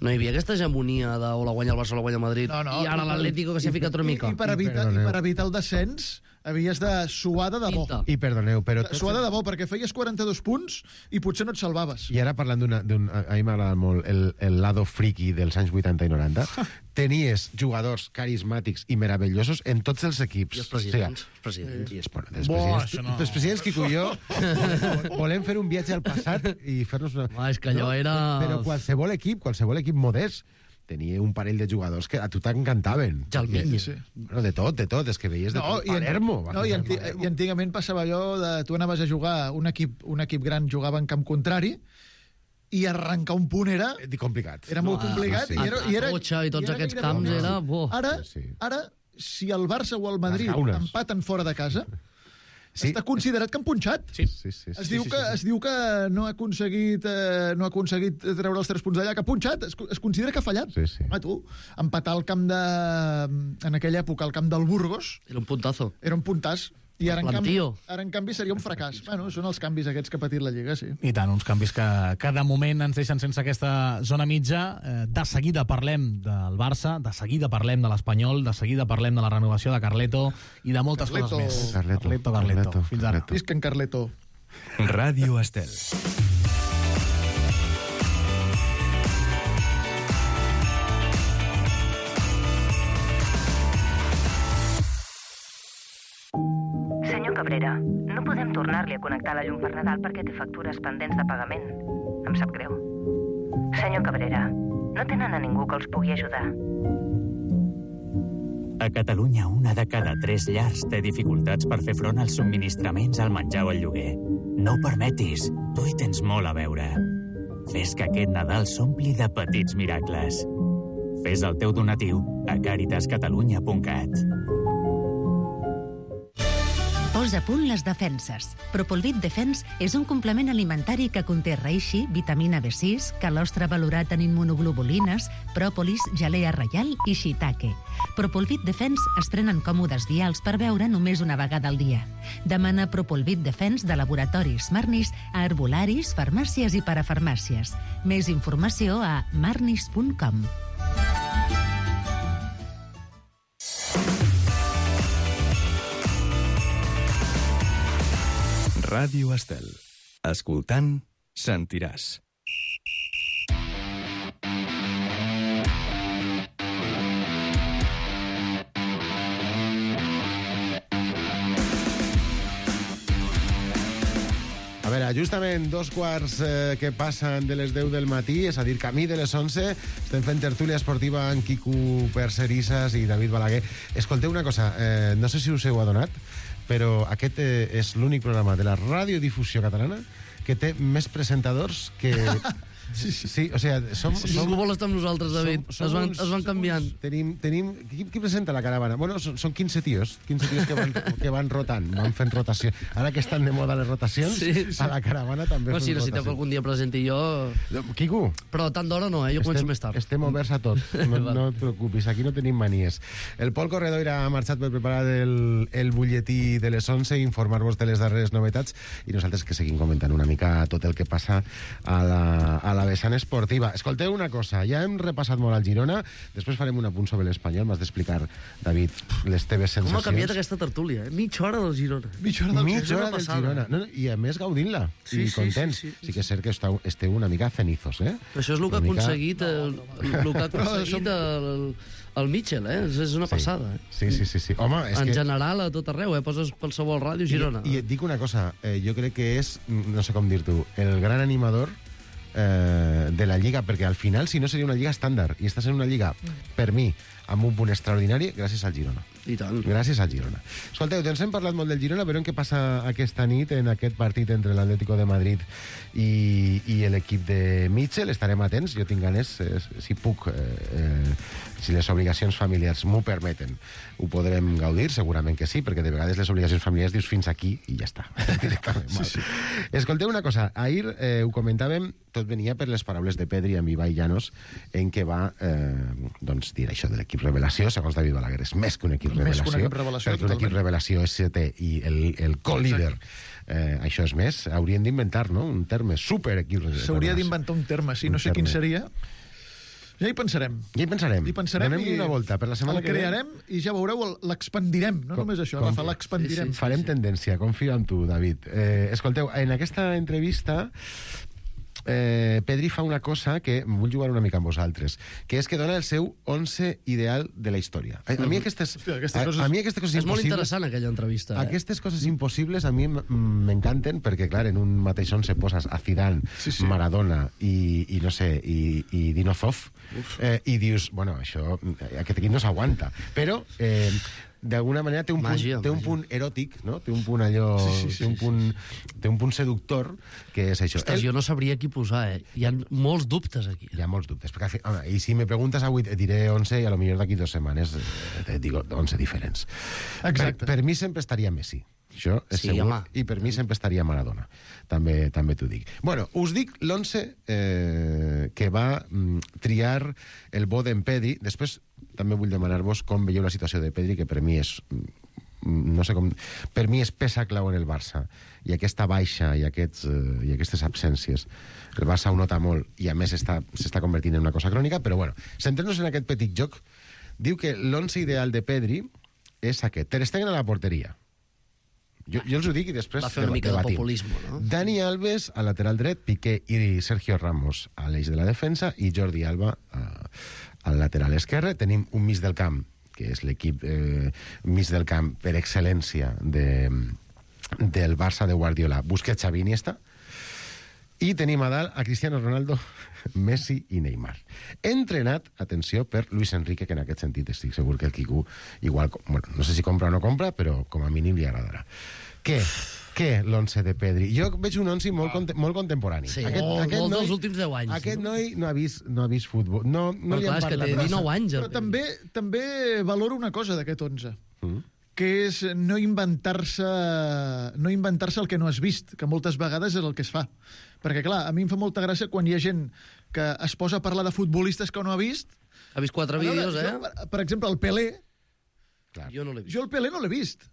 No hi havia aquesta hegemonia de o la guanya el Barça o la guanya el Madrid, i ara l'Atlético que s'ha ficat una mica. I per evitar el descens havies de suar de debò. I perdoneu, però... Suar de debò, perquè feies 42 punts i potser no et salvaves. I ara parlant a mi m'agrada molt el lado friki dels anys 80 i 90, tenies jugadors carismàtics i meravellosos en tots els equips. I els presidents. Els presidents, Quico i jo, volem fer un viatge al passat i fer-nos una... És que allò era... Però qualsevol equip modest tenia un parell de jugadors que a tu t'encantaven. Jalminy. Sí. Bueno, de tot, és que veies de tot. Palermo. I antigament passava allò de tu anaves a jugar, un equip gran jugava en camp contrari, i arrencar un punt era... complicat. Era molt complicat. Sí. I Cotxa i tots aquests camps era... Ara, si el Barça o el Madrid empaten fora de casa... Sí. Està considerat que han punxat. Sí. Es diu que no ha aconseguit treure els 3 punts d'allà, que ha punxat. Es considera que ha fallat. Sí. Tu, empatar al camp de... En aquella època, al camp del Burgos... Era un puntazo. Era un puntàs. I ara, en canvi, seria un fracàs. Bueno, són els canvis aquests que ha patit la Lliga, sí. I tant, uns canvis que de moment ens deixen sense aquesta zona mitja. De seguida parlem del Barça, de seguida parlem de l'Espanyol, de seguida parlem de la renovació de Carleto i de moltes coses més. Carleto. Fins ara. Visca en Carleto. Ràdio Estel. Senyor Cabrera, no podem tornar-li a connectar la llum per Nadal perquè té factures pendents de pagament. Em sap greu. Senyor Cabrera, no tenen a ningú que els pugui ajudar. A Catalunya, 1 de cada 3 llars té dificultats per fer front als subministraments, al menjar o al lloguer. No ho permetis, tu hi tens molt a veure. Fes que aquest Nadal s'ompli de petits miracles. Fes el teu donatiu a caritascatalunya.cat. Posa a punt les defenses. Propolvit Defense és un complement alimentari que conté reishi, vitamina B6, calostre valorat en immunoglobulines, pròpolis, gelea reial i shiitake. Propolvit Defense es prenen còmodes vials per beure només una vegada al dia. Demana Propolvit Defense de laboratoris Marnis a herbolaris, farmàcies i parafarmàcies. Més informació a marnis.com. Ràdio Estel. Escoltant, sentiràs. A veure, justament 2 quarts que passen de les 10 del matí, és a dir, camí de les 11, estem fent tertúlia esportiva amb Quico Percerisas i David Balaguer. Escolteu una cosa, no sé si us heu adonat, però aquest és l'únic programa de la radiodifusió catalana que té més presentadors que... Sí, o sea, Ningú vol estar amb nosaltres, David. Es van canviant. Qui presenta la caravana? Bueno, són 15 tios que van rotant, van fent rotació. Ara que estan de moda les rotacions, a la caravana també fem rotació. Si necessiteu que algun dia presenti jo... Quico. Però tant d'hora no, jo començo més tard. Estem oberts a tot, no et preocupis, aquí no tenim manies. El Pol Corredor ha marxat per preparar el butlletí de les 11 i informar-vos de les darreres novetats, i nosaltres que seguim comentant una mica tot el que passa a la vessant esportiva. Escolteu una cosa, ja hem repassat molt al Girona, després farem un apunt sobre l'Espanyol, m'has d'explicar, David, les teves sensacions. Com ha canviat aquesta tertúlia, Mitja hora del Girona. Mitja hora del Girona. No, i a més gaudint-la, i contents. Sí que és cert que esteu una mica cenizos, eh? Això és el que ha aconseguit el Mitchell, és una passada. Sí. Home, és en general, a tot arreu, poses qualsevol ràdio, Girona. I et dic una cosa, jo crec que és, no sé com dir-t'ho, el gran animador de la Lliga, perquè al final, si no, seria una Lliga estàndard, i estàs en una Lliga, per mi, amb un punt extraordinari, gràcies al Girona. I tant. Gràcies al Girona. Escolteu, doncs hem parlat molt del Girona, però què passa aquesta nit en aquest partit entre l'Atlético de Madrid i l'equip de Mitchell? Estarem atents, jo tinc ganes, si puc, si les obligacions familiars m'ho permeten, ho podrem gaudir, segurament que sí, perquè de vegades les obligacions familiars dius fins aquí i ja està, directament. Sí. Escolteu una cosa, ahir ho comentàvem, tot venia per les paraules de Pedri amb Ibai Llanos, en què va doncs dir això de l'equip revelació, segons David Balaguer, és més que un equip revelació, perquè un equip revelació és i el co-líder. Això és més, haurien d'inventar, no?, un terme, super equip revelació. S'hauria d'inventar un terme, sí, no sé quin seria. Ja hi pensarem. Donem una volta per la setmana que ve. El crearem i ja veureu, l'expandirem. No només això, Rafa, l'expandirem. Farem tendència, confio en tu, David. Escolteu, en aquesta entrevista Pedri fa una cosa que vull jugar una mica amb vosaltres, que és que dona el seu 11 ideal de la història. A mi aquestes coses impossibles... És molt interessant aquella entrevista. Aquestes coses impossibles a mi m'encanten perquè, clar, en un mateix 11 poses a Zidane, Maradona i no sé, i Dinozov, i dius, bueno, això, aquest equip no s'aguanta. Però... d'alguna manera té un punt eròtic, no? Té un punt allò... Té un punt seductor, que és això. Ostres, jo no sabria qui posar, Hi ha molts dubtes aquí. Hi ha molts dubtes. Perquè, home, i si me preguntes avui, et diré 11 i a lo millor d'aquí 2 setmanes et dic 11 diferents. Exacte. Per mi sempre estaria Messi. Això és segur. Home. I per mi sempre estaria Maradona. També t'ho dic. Bueno, us dic l'11 que va triar el bo d'en Pedri. Després també vull demanar-vos com veieu la situació de Pedri, que per mi és... no sé com... Per mi és peça clau en el Barça. I aquesta baixa i aquestes absències. El Barça ho nota molt i a més s'està convertint en una cosa crònica, però bueno, centrem-nos en aquest petit joc. Diu que l'11 ideal de Pedri és aquest. Ter Stegen a la porteria. Jo els ho dic i després va fer una mica de populisme, no? Dani Alves al lateral dret, Piqué i Sergio Ramos a l'eix de la defensa i Jordi Alba al lateral esquerre. Tenim un mig del camp, que és l'equip mig del camp per excel·lència del Barça de Guardiola. Busquets, Xavi, Iniesta. I tenim a dalt a Cristiano Ronaldo, Messi i Neymar. Entrenat, atenció, per Luis Enrique, que en aquest sentit estic segur que el Quico igual, bueno, no sé si compra o no compra, però com a mínim li agradarà. Què l'11 de Pedri? Jo veig un 11 molt contemporani. Sí, molt dels últims 10 anys. Aquest noi no ha vist futbol. No li han clar, és que parlat té 19 anys. Però també valoro una cosa d'aquest 11. Que és no inventar-se el que no has vist, que moltes vegades és el que es fa. Perquè, clar, a mi em fa molta gràcia quan hi ha gent que es posa a parlar de futbolistes que no ha vist. Ha vist 4 vídeos, Per exemple, el Pelé. Jo no l'he vist. Jo el Pelé no l'he vist.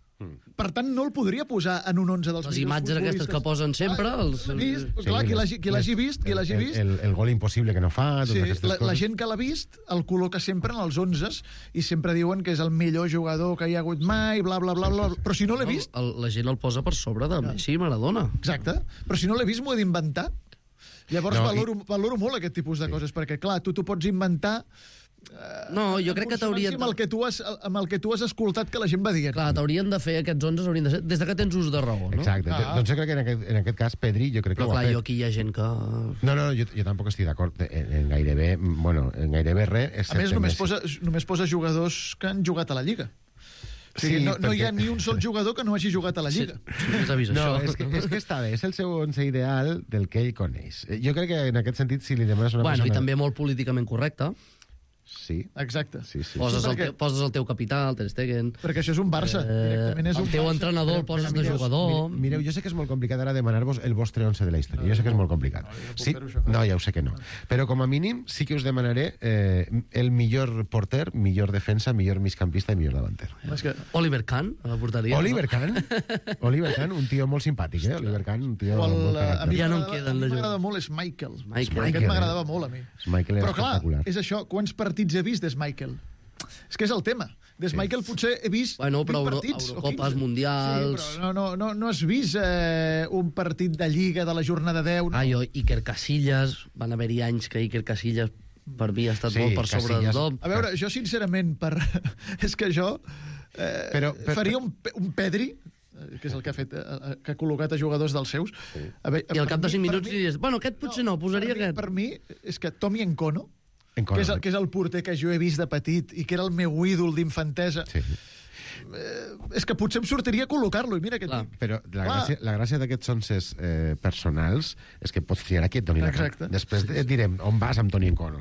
Per tant, no el podria posar en un 11 dels les millors imatges futbolistes. aquestes que posen sempre... Clar, qui l'hagi vist... El gol impossible que no fa... Sí, la gent que l'ha vist el col·loca sempre en els 11 i sempre diuen que és el millor jugador que hi ha hagut mai, bla, bla, bla, bla. Però si no l'he vist... La gent el posa per sobre de Messi i Maradona. Exacte. Però si no l'he vist, m'ho he d'inventar. Llavors valoro molt aquest tipus de coses, perquè, clar, tu t'ho pots inventar... No, jo crec que t'haurien... Amb el que tu has escoltat que la gent va dient. Clar, t'haurien de fer aquests 11, haurien de ser des de que tens ús de raó, no? Exacte. Doncs jo crec que en aquest cas Pedri, jo crec que però ho ha clar, fet. aquí hi ha gent que... No, jo tampoc estic d'acord en gairebé res. A més, només posa jugadors que han jugat a la Lliga. O sigui, no hi ha ni un sol jugador que no hagi jugat a la Lliga. No, és que està bé, és el seu 11 ideal del que ell coneix. Jo crec que en aquest sentit, si li demanes una persona... Bueno, i també molt políticament correcte. Sí. Exacte. Sí. Poses el teu capità, el Ter Stegen... Perquè això és un Barça. Directament és el teu entrenador el poses de jugador... Mireu, jo sé que és molt complicat ara demanar-vos el vostre 11 de la història. Jo sé que és molt complicat. Sí? No, ja ho sé que no. Però com a mínim sí que us demanaré el millor porter, millor defensa, millor migcampista i millor davanter. Oliver Kahn, a la porteria. Oliver Kahn, un tio molt simpàtic, Oliver Kahn, un tio molt a mi ja no en queden de m'agrada molt és Michael. Michael. Aquest m'agradava molt a mi. Michael però clar, espectacular. és això, quants partits he vist des Michael? És que és el tema. Des Michael potser he vist 20 partits. Eurocopes, mundials... Sí, però no has vist un partit de Lliga de la jornada 10. No? Iker Casillas, van haver-hi anys que Iker Casillas per mi ha estat molt per sobre de tothom. A veure, jo sincerament, és que jo faria un Pedri, que és el que ha fet, que ha col·locat a jugadors dels seus. I al cap de 5 minuts diries, bueno, aquest potser no, posaria aquest. Per mi, és que Tommy Nkono, que és el porter que jo he vist de petit i que era el meu ídol d'infantesa, és que potser em sortiria col·locar-lo, i mira que dic. Però la gràcia d'aquests 11 personals és que pots triar qui et doni la cara. Després et direm on vas amb Toni Nkono,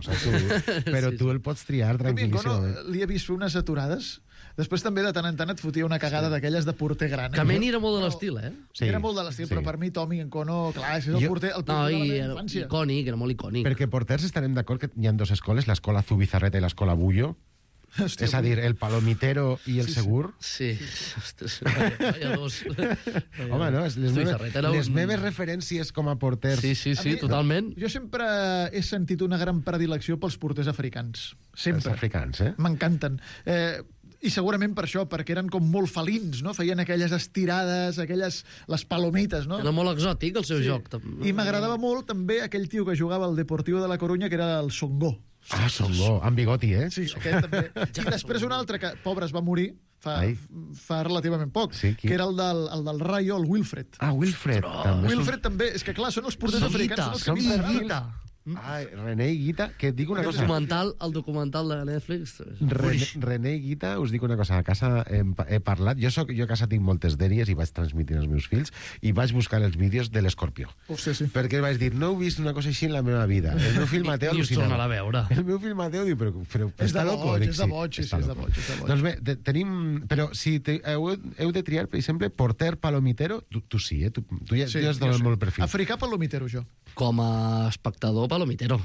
però tu el pots triar tranquil·líssimament. Li he vist fer unes aturades. Després també de tant en tant et fotia una cagada d'aquelles de porter gran. Kameni era molt de l'estil, Era molt de l'estil, però per mi Tommy Nkono, clar, és el porter de la meva infància. Icònic, era molt icònic. Perquè porters estarem d'acord que hi ha dues escoles, l'escola Zubizarreta i l'escola Bullo. És a dir, el palomitero i el segur. Sí. Home, no, les meves referències com a porters... Sí, totalment. Jo sempre he sentit una gran predilecció pels porters africans. Sempre. Els africans, M'encanten. I segurament per això, perquè eren com molt felins, no? Feien aquelles estirades, les palomites, no? Era molt exòtic el seu joc. I m'agradava molt també aquell tio que jugava al Deportivo de la Coruña, que era el Songo. Songo, amb bigoti, Sí, aquest també. I després un altre que, pobre, es va morir fa relativament poc, que era el del Rayo, el Wilfred. Wilfred. Wilfred també. És que, clar, són els porters africans. Són Guita. René Guita, que et dic una cosa... El documental de Netflix... René Guita, us dic una cosa, a casa he parlat, jo a casa tinc moltes dèries i vaig transmitir als meus fills i vaig buscar els vídeos de l'Escorpió. Sí. Perquè vaig dir, no he vist una cosa així en la meva vida. El meu fill Mateo al·lucinava. a veure. El meu fill Mateo diu, però està loco. És de boig. Doncs bé, tenim... Però si heu de triar, per exemple, porter palomitero, tu sí, tu ja has donat molt perfil. Africà palomitero, jo. Com a espectador, palomitero.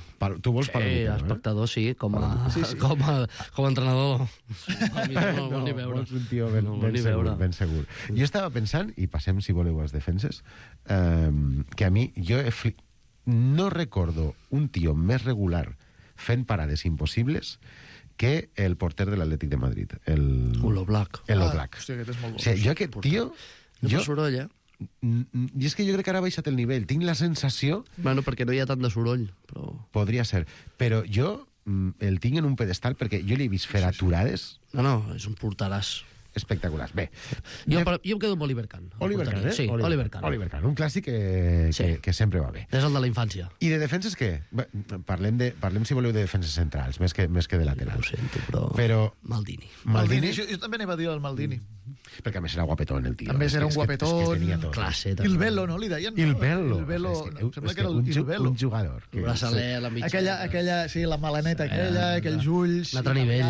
Tu vols palomitero, espectador, sí. Com a entrenador. No ni veure. Vols un tio ben segur. Jo estava pensant, i passem, si voleu, als defenses, que a mi, no recordo un tio més regular fent parades impossibles que el porter de l'Atlètic de Madrid. L'Oblak. Hòstia, aquest és molt bo. Jo aquest tio... No soroll, I és que jo crec que ara ha baixat el nivell. Tinc la sensació... Bueno, perquè no hi ha tant de soroll, però... Podria ser. Però jo el tinc en un pedestal perquè jo l'he vist fer aturades... No, és un porteràs. espectaculars. Bé. Jo em quedo amb Oliver Kahn. Oliver Kahn, Sí, Oliver Kahn. Oliver Kahn, un clàssic Sí. que sempre va bé. És el de la infància. I de defenses què? Bé, parlem, si voleu, de defenses centrals, més que de laterals. Ho sento, però Maldini. Maldini, Jo també anava a dir el Maldini. perquè a més era guapetón el tio. A més era un És que guapetón, tenia tot. classe. Il Velo, no? Li deien? Il Velo. Il Velo, És que- no, sembla és que era el Il Velo. un jugador. El braçaler, la mitja... Aquella, sí, la malaneta aquella, aquells ulls... Un altre nivell.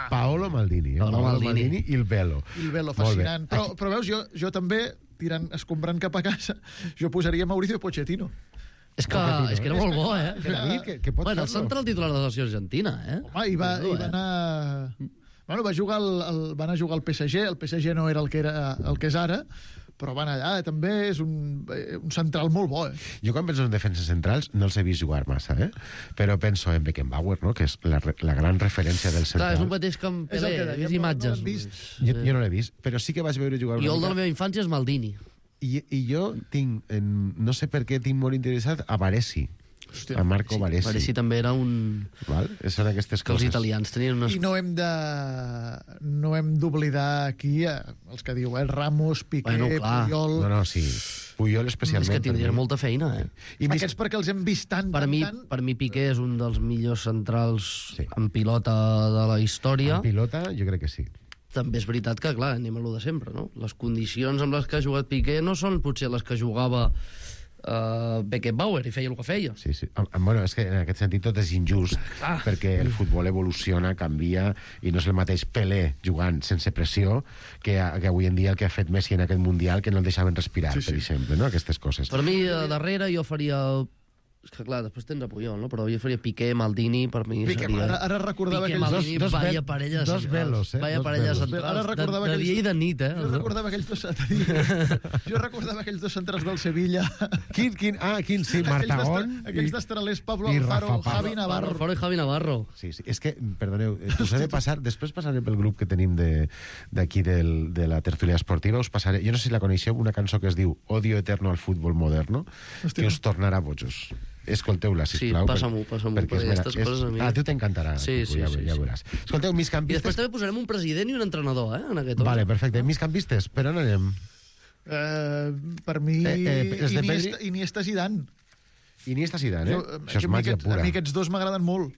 Paolo Maldini. Paolo Maldini. Il Velo. Il Velo, Molt bé. fascinant. Però veus, jo també, escombrant cap a casa, jo posaria Mauricio Pochettino. És que era molt bo, eh? Que pot Bueno, el fer-lo. central titular de la selecció argentina, eh? Home, i va anar... Bueno, va anar a jugar al PSG, el PSG no era el que és ara, però va anar allà, també és un central molt bo, eh? Jo quan penso en defenses centrals no els he vist jugar massa, però penso en Beckenbauer, no? Que és la gran referència del Clar, central. és un mateix que en És el Pelé, que he dèiem, vist no imatges. l'hem vist. Jo no l'he vist, però sí que vaig veure jugar I una el de la mica. meva infància és Maldini. I jo tinc, no sé per què tinc molt interessat a Baresi, a Marco Baresi. Baresi també era un... Val? Són aquestes Que els coses. italians tenien unes... I no hem d'oblidar aquí els que diu, Ramos, Piqué, Bueno, clar. Puyol... No, sí. Puyol especialment. És que per tindrien mi. molta feina, eh? I més- Aquests perquè els hem vist tant, Per mi Piqué és un dels millors centrals en pilota de la història. En pilota, jo crec que sí. També és veritat que, clar, anem a lo de sempre, no? Les condicions amb les que ha jugat Piqué no són potser les que jugava Beckenbauer i feia el que feia. Sí, sí. Bueno, és que en aquest sentit tot és injust, perquè el futbol evoluciona, canvia, i no és el mateix Pelé jugant sense pressió que avui en dia el que ha fet Messi en aquest Mundial, que no el deixaven respirar, per exemple, no? Aquestes coses. Per mi, darrere, jo faria... És que, clar, després tens a Puyol, no? Però jo faria Piqué, Maldini, per mi Piqué, seria... ara recordava Piqué, aquells Maldini, dos vaya vel- parella... dos velos, Vaya dos parella velos. central. Ara recordava de dia i de nit, eh? Jo recordava aquells dos... Jo recordava aquells dos centrals del Sevilla. Quin, sí, Martagón Aquells destralers Pablo i Alfaro, Rafa Pablo. Javi Navarro. Alfaro i Javi Navarro. Sí, sí. És que, perdoneu, us he de passar... Després passaré pel grup que tenim d'aquí de la tertúlia esportiva, us passaré... Jo no sé si la coneixeu, una cançó que es diu Odio eterno al fútbol moderno, que us tornarà bojos. Escolteu-la, sisplau. Sí, passa-m'ho, perquè aquestes coses a mi... A tu t'encantarà. Sí, ja veuràs. Escolteu, I després migcampistes... també posarem un president i un entrenador, en aquest Vale, perfecte. Migcampistes, per on anem? Per mi, els de Iniesta Zidane. Iniesta Zidane, Jo, Això és màgia pura. A mi aquests dos m'agraden molt.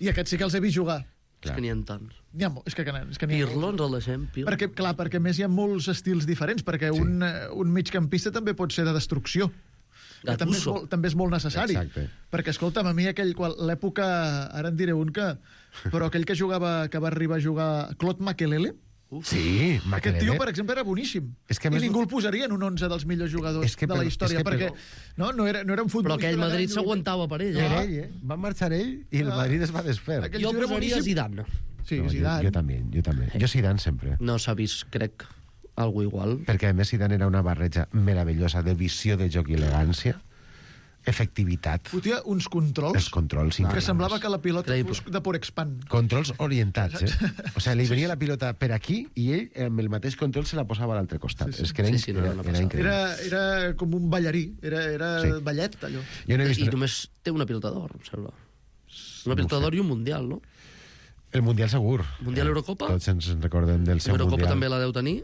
I aquests sí que els he vist jugar. És que n'hi ha tants. N'hi ha, és que n'hi ha Pirlo ens el deixem, Pirlo. perquè a més hi ha molts estils diferents, perquè un migcampista també pot ser de destrucció. Que també és molt necessari. Exacte. Perquè, escolta'm, a mi l'època, ara en diré un però aquell que va arribar a jugar Claude Makelele, Sí, aquest Makelele. tio, per exemple, era boníssim. És que a I més- ningú el posaria en un 11 dels millors jugadors de la història, perquè no era un Però futbolista... aquell de Madrid gran s'aguantava per ell, Per ell, Va marxar ell i el Madrid es va desfer. Aquell Jo tio era posaria boníssim. Zidane. Sí, No, Zidane. jo també. Jo Zidane sempre. No s'ha vist, crec, algo igual. Perquè a més Zidane era una barreja meravellosa de visió de joc i elegància, efectivitat, Fotia uns controls els controls que increïbles. semblava que la pilota Increïble. fos de Porexpan. Controls orientats, O sigui, li venia la pilota per aquí i ell amb el mateix control se la posava a l'altre costat. És que era, Sí, no, no era increïble. Era com un ballarí, era Sí. ballet, allò. Jo no he vist I només té una pilota d'or, em sembla. Una pilota d'or i un Mundial, no? el Mundial segur. Mundial Eurocopa? Tots ens recordem del seu L'Eurocopa Mundial. també la deu tenir?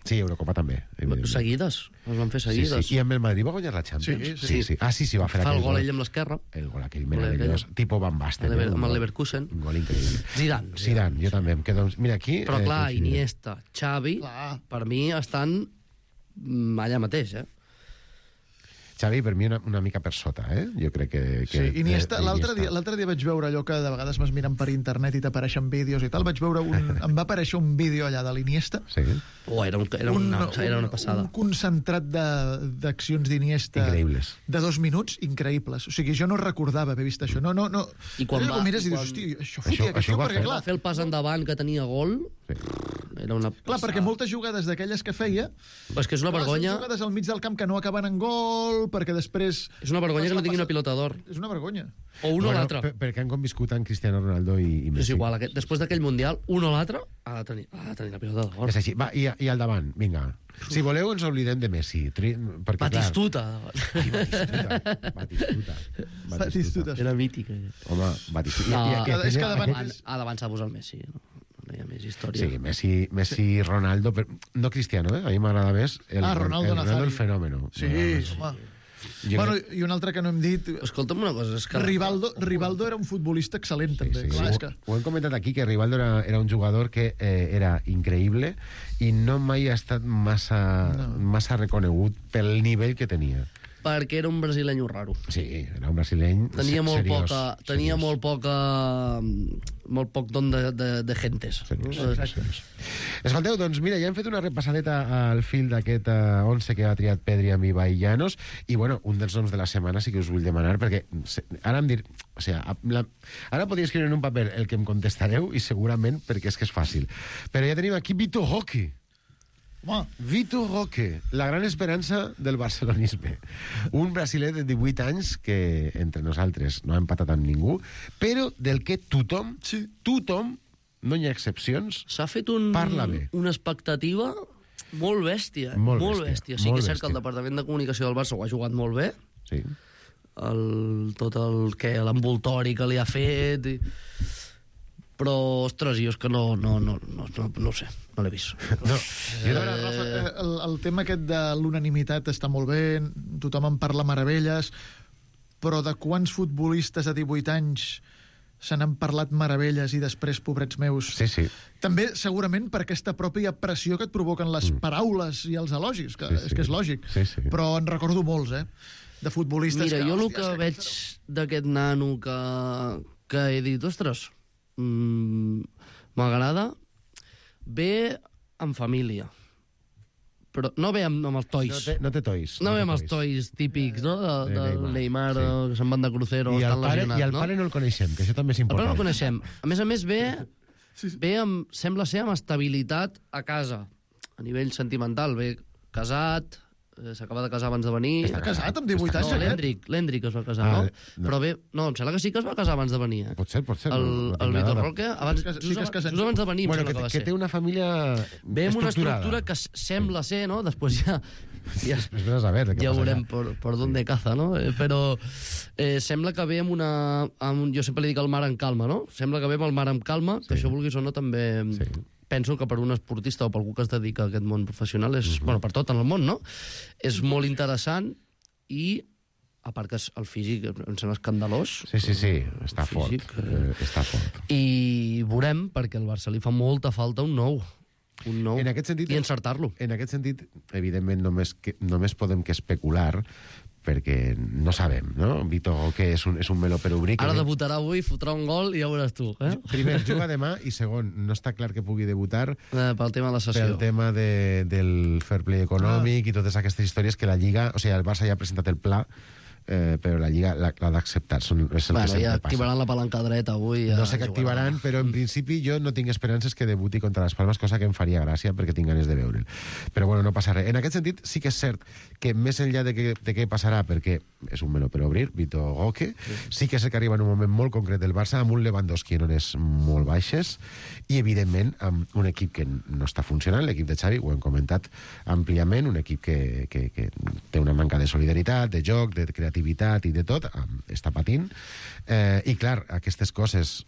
Sí, Eurocopa també. evidentment. Seguides. Es van fer Sí, seguides. sí. I amb el Madrid va guanyar la Champions. Sí. Ah, sí, va fer Fa el aquell gol ell amb l'esquerra. El gol aquell meravellós, tipo Van Basten. Amb el Leverkusen. Un gol increïble. Zidane. Zidane, jo també. Em quedo... Mira, aquí... Però clar, coincidirem. Iniesta, Xavi, Clar. per mi estan allà mateix, Xavi, per mi, una mica per sota, Jo crec que... Sí, Iniesta, l'altre dia vaig veure allò que de vegades vas mirant per internet i t'apareixen vídeos i tal, vaig veure em va aparèixer un vídeo allà de l'Iniesta, Sí. Era una passada. un concentrat d'accions d'Iniesta Increïbles. de 2 minuts increïbles. O sigui, jo no recordava haver vist això. No. I quan Ho va- mires i i dius, quan- hosti, això Això fotia aquest ho tio, va perquè fer. clar, Va fer el pas endavant que tenia gol. Sí. Era una clar, passada. perquè moltes jugades d'aquelles que feia... Però és que és una vergonya. Són jugades al mig del camp que no acaben en gol, perquè després... És una vergonya que no tingui una pilota d'or. És una vergonya. O un o l'altre. Perquè han conviscut amb Cristiano Ronaldo i Messi. És igual, després d'aquell Mundial, un o l'altre ha de tenir la pilota d'or. És així. Va, i al davant, vinga. Si voleu, ens oblidem de Messi. Perquè, Batistuta. Batistuta. Era mític. Home, Batistuta. No, és que davant- ha d'avançar a posar el Messi. No? no hi ha més història. Sí, Messi, Ronaldo, però no Cristiano, a mi m'agrada més Ronaldo Nazario. el fenòmeno. Sí, home. Bueno, i un altre que no hem dit... Escolta'm una cosa, és que... Rivaldo era un futbolista excel·lent, també. Sí. Clar, és que... Ho hem comentat aquí, que Rivaldo era un jugador que era increïble i no mai ha estat massa reconegut pel nivell que tenia. Perquè era un brasileño raro. Sí, era un brasileny Tenia molt seriós, molt poc don de gentes. Seriós. Escolteu, doncs mira, ja hem fet una repassadeta al fil d'aquest 11 que ha triat Pedri amb Ibai Llanos, i bueno, un dels noms de la setmana sí que us vull demanar, perquè ara em dir... O sigui, ara podria escriure en un paper el que em contestareu, i segurament perquè és que és fàcil. Però ja tenim aquí Vitor Roque. Vitor Roque, la gran esperança del barcelonisme. Un brasiler de 18 anys que, entre nosaltres, no ha empatat amb ningú, però del que tothom, no hi ha excepcions, s'ha fet parla bé. Una expectativa molt bèstia. Molt bèstia. Sí que és cert que el departament de comunicació del Barça ho ha jugat molt bé. Sí. Tot l'envoltori que li ha fet... Però, ostres, jo és que no ho sé, no l'he vist. No. El tema aquest de l'unanimitat està molt bé, tothom en parla meravelles, però de quants futbolistes a 18 anys se n'han parlat meravelles i després, pobrets meus... Sí. També, segurament, per aquesta pròpia pressió que et provoquen les paraules i els elogis, que és que és lògic. Sí. Però en recordo molts, de futbolistes... Mira, jo el que veig d'aquest nano que he dit, ostres... m'agrada ve en família, però no ve amb els tois. No té tois. No ve amb els tois típics, no? Del Neymar, que se'n van de crucero, I estan lesionats, I el pare no el coneixem, que això també és important. El pare important. no el coneixem. A més, ve amb, sembla ser, amb estabilitat a casa, a nivell sentimental. Ve casat, s'acaba de casar abans de venir. Està casat amb 18 anys? No, l'Hendrik es va casar, no? Però bé, no, em sembla que sí que es va casar abans de venir. Pot ser. El Vitor Roque, abans de venir, bueno, que té una família ve amb una estructura que sembla ser, no? Després ja veurem per dónde caza, no? Però sembla que ve amb una... Jo sempre li dic el mar en calma, no? Sembla que ve amb el mar en calma, que això vulguis o no també... Penso que per un esportista o per algú que es dedica a aquest món professional és, bueno, per tot en el món, no? És molt interessant i, a part que el físic em sembla escandalós. Sí, està fort. Està fort. I veurem, perquè al Barça li fa molta falta un nou. En aquest sentit, i encertar-lo. En aquest sentit, evidentment, només podem que especular, perquè no sabem, no? Vitor Roque és un meló per obrir. Ara debutarà avui, fotrà un gol i ja veuràs tu. Primer, juga demà, i segon, no està clar que pugui debutar pel tema de la sessió. Pel tema del fair play econòmic i totes aquestes històries que la Lliga... O sigui, el Barça ja ha presentat el pla, però la Lliga l'ha d'acceptar. Ja activaran la palanca dreta avui. No sé què activaran, però en principi jo no tinc esperances que debuti contra les Palmes, cosa que em faria gràcia perquè tinc ganes de veure'l. Però bueno, no passa res. En aquest sentit, sí que és cert que més enllà de què passarà, perquè és un meló per obrir, Vitor Roque, sí que és que arriba en un moment molt concret del Barça, amb un Lewandowski en hores molt baixes, i evidentment amb un equip que no està funcionant, l'equip de Xavi, ho hem comentat àmpliament, un equip que té una manca de solidaritat, de joc, de creativitat i de tot, està patint, i clar, aquestes coses,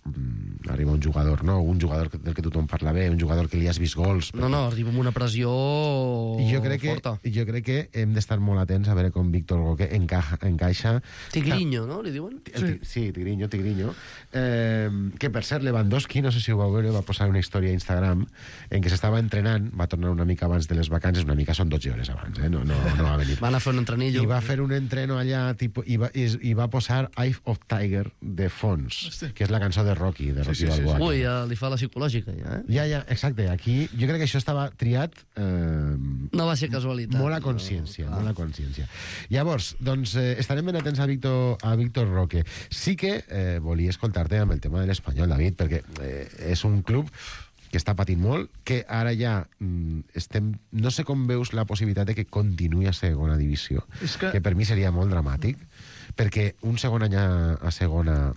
arriba un jugador, no? Un jugador del que tothom parla bé, un jugador que li has vist gols... No, arriba amb una pressió forta. Jo crec que hem d'estar molt atents a veure com Víctor Roque encaixa... Tigriño, no? Li diuen? Sí, Tigriño. Que, per cert, Lewandowski, no sé si ho vau veure, va posar una història a Instagram en què s'estava entrenant, va tornar una mica abans de les vacances, una mica són 12 hores abans, no va venir. Van a fer un entrenillo. I va fer un entreno allà, i va posar Eye of Tiger de fons, que és la cançó de Rocky Balboa. Ui, ja li fa la psicològica, ja, Ja, exacte. Aquí jo crec que això estava triat... No va ser casualitat. Molt a consciència. Llavors, doncs, estarem ben atents a Víctor Roque. Sí que volia escoltar-te amb el tema de l'Espanyol, David, perquè és un club que està patint molt, que ara ja estem... No sé com veus la possibilitat de que continuï a segona divisió, que per mi seria molt dramàtic, perquè un segon any a segona,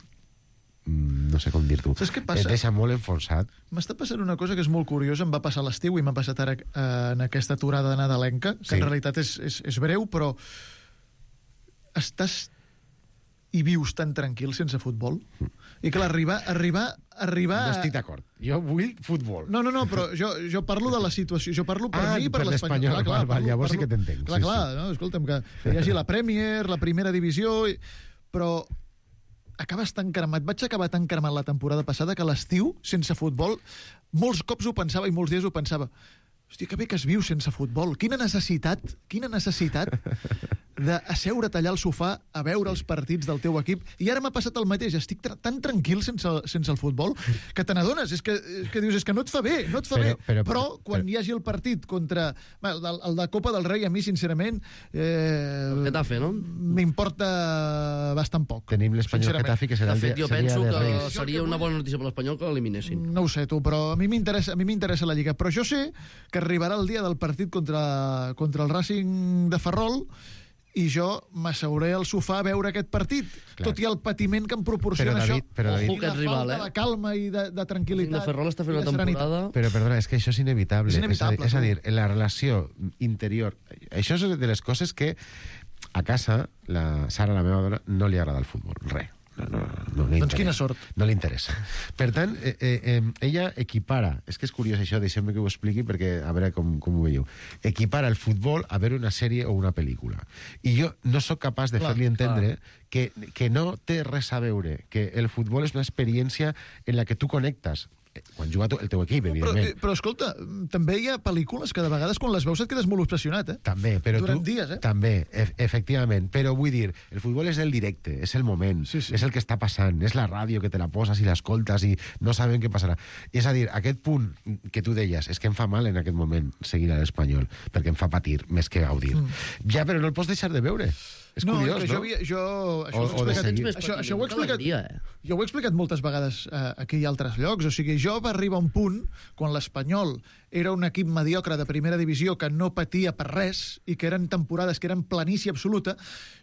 no sé com dir-t'ho, et deixa molt enfonsat. M'està passant una cosa que és molt curiosa, em va passar a l'estiu i m'ha passat ara en aquesta aturada nadalenca, que en realitat és breu, però estàs i vius tan tranquil sense futbol? I clar, arribar... No estic d'acord. Jo vull futbol. No, però jo parlo de la situació. Jo parlo per mi i per l'Espanyol. Llavors sí que t'entenc. Clar, no, escolta'm, que hi hagi la Premier, la primera divisió... Però acabes tan cremat. Vaig acabar tan cremat la temporada passada que l'estiu, sense futbol, molts cops ho pensava i molts dies ho pensava. Hòstia, que bé que es viu sense futbol. Quina necessitat d'asseure't allà al sofà a veure els partits del teu equip. I ara m'ha passat el mateix. Estic tan tranquil sense el futbol que te n'adones. És que dius, és que no et fa bé, Però quan hi hagi el partit contra... El de Copa del Rei, a mi, sincerament... Getafe, no? M'importa bastant poc. Tenim l'Espanyol Getafe, que serà el dia de Reis. De fet, jo penso que seria una bona notícia per l'Espanyol que l'eliminessin. No ho sé, tu, però a mi m'interessa la Lliga. Però jo sé que arribarà el dia del partit contra el Racing de Ferrol i jo m'asseuré al sofà a veure aquest partit, tot i el patiment que em proporciona això. David, i la falta de calma i de tranquil·litat. De Ferrol està fent una temporada... Però, perdona, és que això és inevitable. És a dir, la relació interior... Això és de les coses que a casa, la Sara, la meva dona, no li agrada el futbol. Res. No doncs quina sort. No li interessa. Per tant, ella equipara, és que és curiós això, deixeu-me que ho expliqui perquè a veure com ho veieu, equipara el futbol a veure una sèrie o una pel·lícula. I jo no sóc capaç de fer-li entendre que no té res a veure, que el futbol és una experiència en la que tu connectes quan juga el teu equip, evidentment. Però escolta, també hi ha pel·lícules que de vegades quan les veus et quedes molt obsessionat, També, però durant dies, També, efectivament. Però vull dir, el futbol és el directe, és el moment, és el que està passant, és la ràdio que te la poses i l'escoltes i no sabem què passarà. És a dir, aquest punt que tu deies, és que em fa mal en aquest moment seguir a l'Espanyol, perquè em fa patir més que gaudir. Ja, però no el pots deixar de veure. És curiós, no? Això ho he explicat... Jo ho he explicat moltes vegades aquí i altres llocs. O sigui, jo va arribar un punt, quan l'Espanyol era un equip mediocre de primera divisió que no patia per res i que eren temporades que eren planícia absoluta,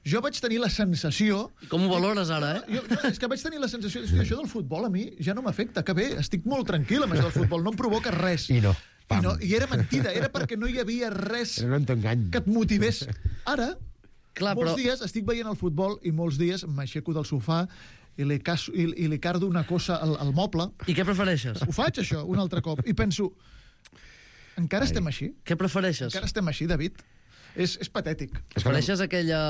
jo vaig tenir la sensació... I com ho valores ara, És que vaig tenir la sensació que això del futbol a mi ja no m'afecta, que bé, estic molt tranquil amb això del futbol, no em provoca res. I no. I era mentida, era perquè no hi havia res que et motivés. Ara... Clar, molts dies estic veient el futbol i molts dies m'aixeco del sofà i li cardo una cosa al moble. I què prefereixes? Ho faig, això, un altre cop. I penso, encara estem així? Què prefereixes? Encara estem així, David? És patètic. Prefereixes aquella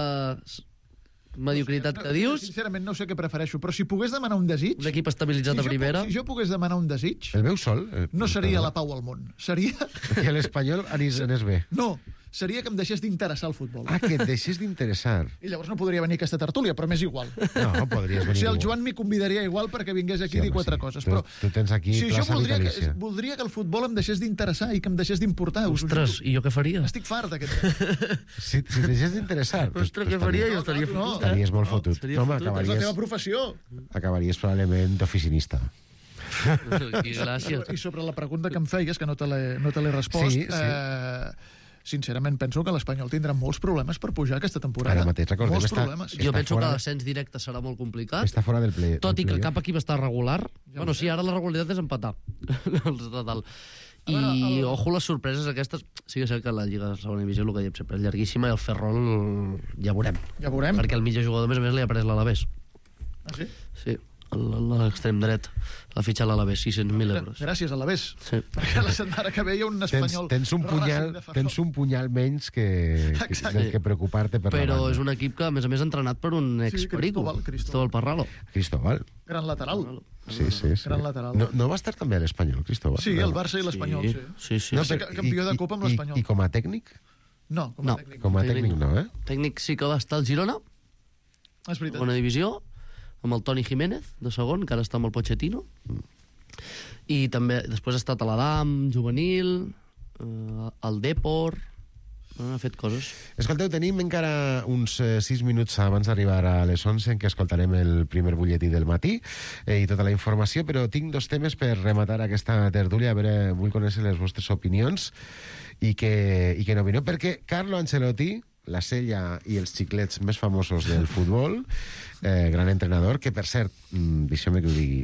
mediocritat que dius? Sincerament no sé què prefereixo, però si pogués demanar un desig... Un equip estabilitzat a primera? Si jo pogués demanar un desig... El meu sol? No seria la pau al món. Seria... Que l'Espanyol anés bé. No, seria que em deixés d'interessar el futbol. Que et deixés d'interessar. I llavors no podria venir a aquesta tertúlia, però m'és igual. No, podries venir. O sigui, el Joan m'hi convidaria igual perquè vingués aquí a dir quatre coses. Però tu tens aquí plaça vitalícia. Voldria que el futbol em deixés d'interessar i que em deixés d'importar. Ostres, i jo què faria? Estic fart d'aquest. Si deixés d'interessar... Ostres, què faria? Jo estaria fotut. Estaries molt fotut. Home, és la teva professió. Acabaries probablement d'oficinista. Gràcies. I sobre la pregunta que em feies, que no te l'he respost... Sincerament, penso que l'Espanyol tindrà molts problemes per pujar aquesta temporada. Ara mateix, recordem, molts problemes. Jo penso que l'ascens directe serà molt complicat. Està fora del play. Tot i que cap equip està regular. Bueno, sí, ara la regularitat és empatar. I, ojo, les sorpreses aquestes... Sí que sé que la Lliga de Segona Divisió, el que diem sempre, és llarguíssima, i el Ferrol ja veurem. Ja veurem. Perquè el mitjà jugador, a més, li ha pres l'Alavés. Ah, sí? Sí. L'extrem dret l'ha fitxat l'Alavés, 600.000 euros. Gràcies, Alavés. Sí. Perquè la setmana que ve hi ha un espanyol... Tens un punyal menys que preocupar-te per Però és un equip que, a més, ha entrenat per un ex-perico, Cristóbal Parralo. Cristóbal. Gran lateral. Sí. Gran lateral. No va estar també a l'Espanyol, Cristóbal? Sí, el Barça i l'Espanyol, sí. No, campió de Copa amb l'Espanyol. I com a tècnic? No, com a tècnic. Com a tècnic no, Tècnic sí que va estar al Girona. És veritat. Segona divisió, amb el Toni Jiménez, de segon, que ara està amb el Pochettino. I també, després ha estat a l'Adam, juvenil, al Depor, ha fet coses. Escolteu, tenim encara uns 6 minuts abans d'arribar a les 11 en què escoltarem el primer butlletí del matí i tota la informació, però tinc 2 temes per rematar aquesta tertúlia. A veure, vull conèixer les vostres opinions i que n'opineu, perquè Carlo Ancelotti la sella i els xiclets més famosos del futbol, gran entrenador, que per cert, deixeu-me que ho digui,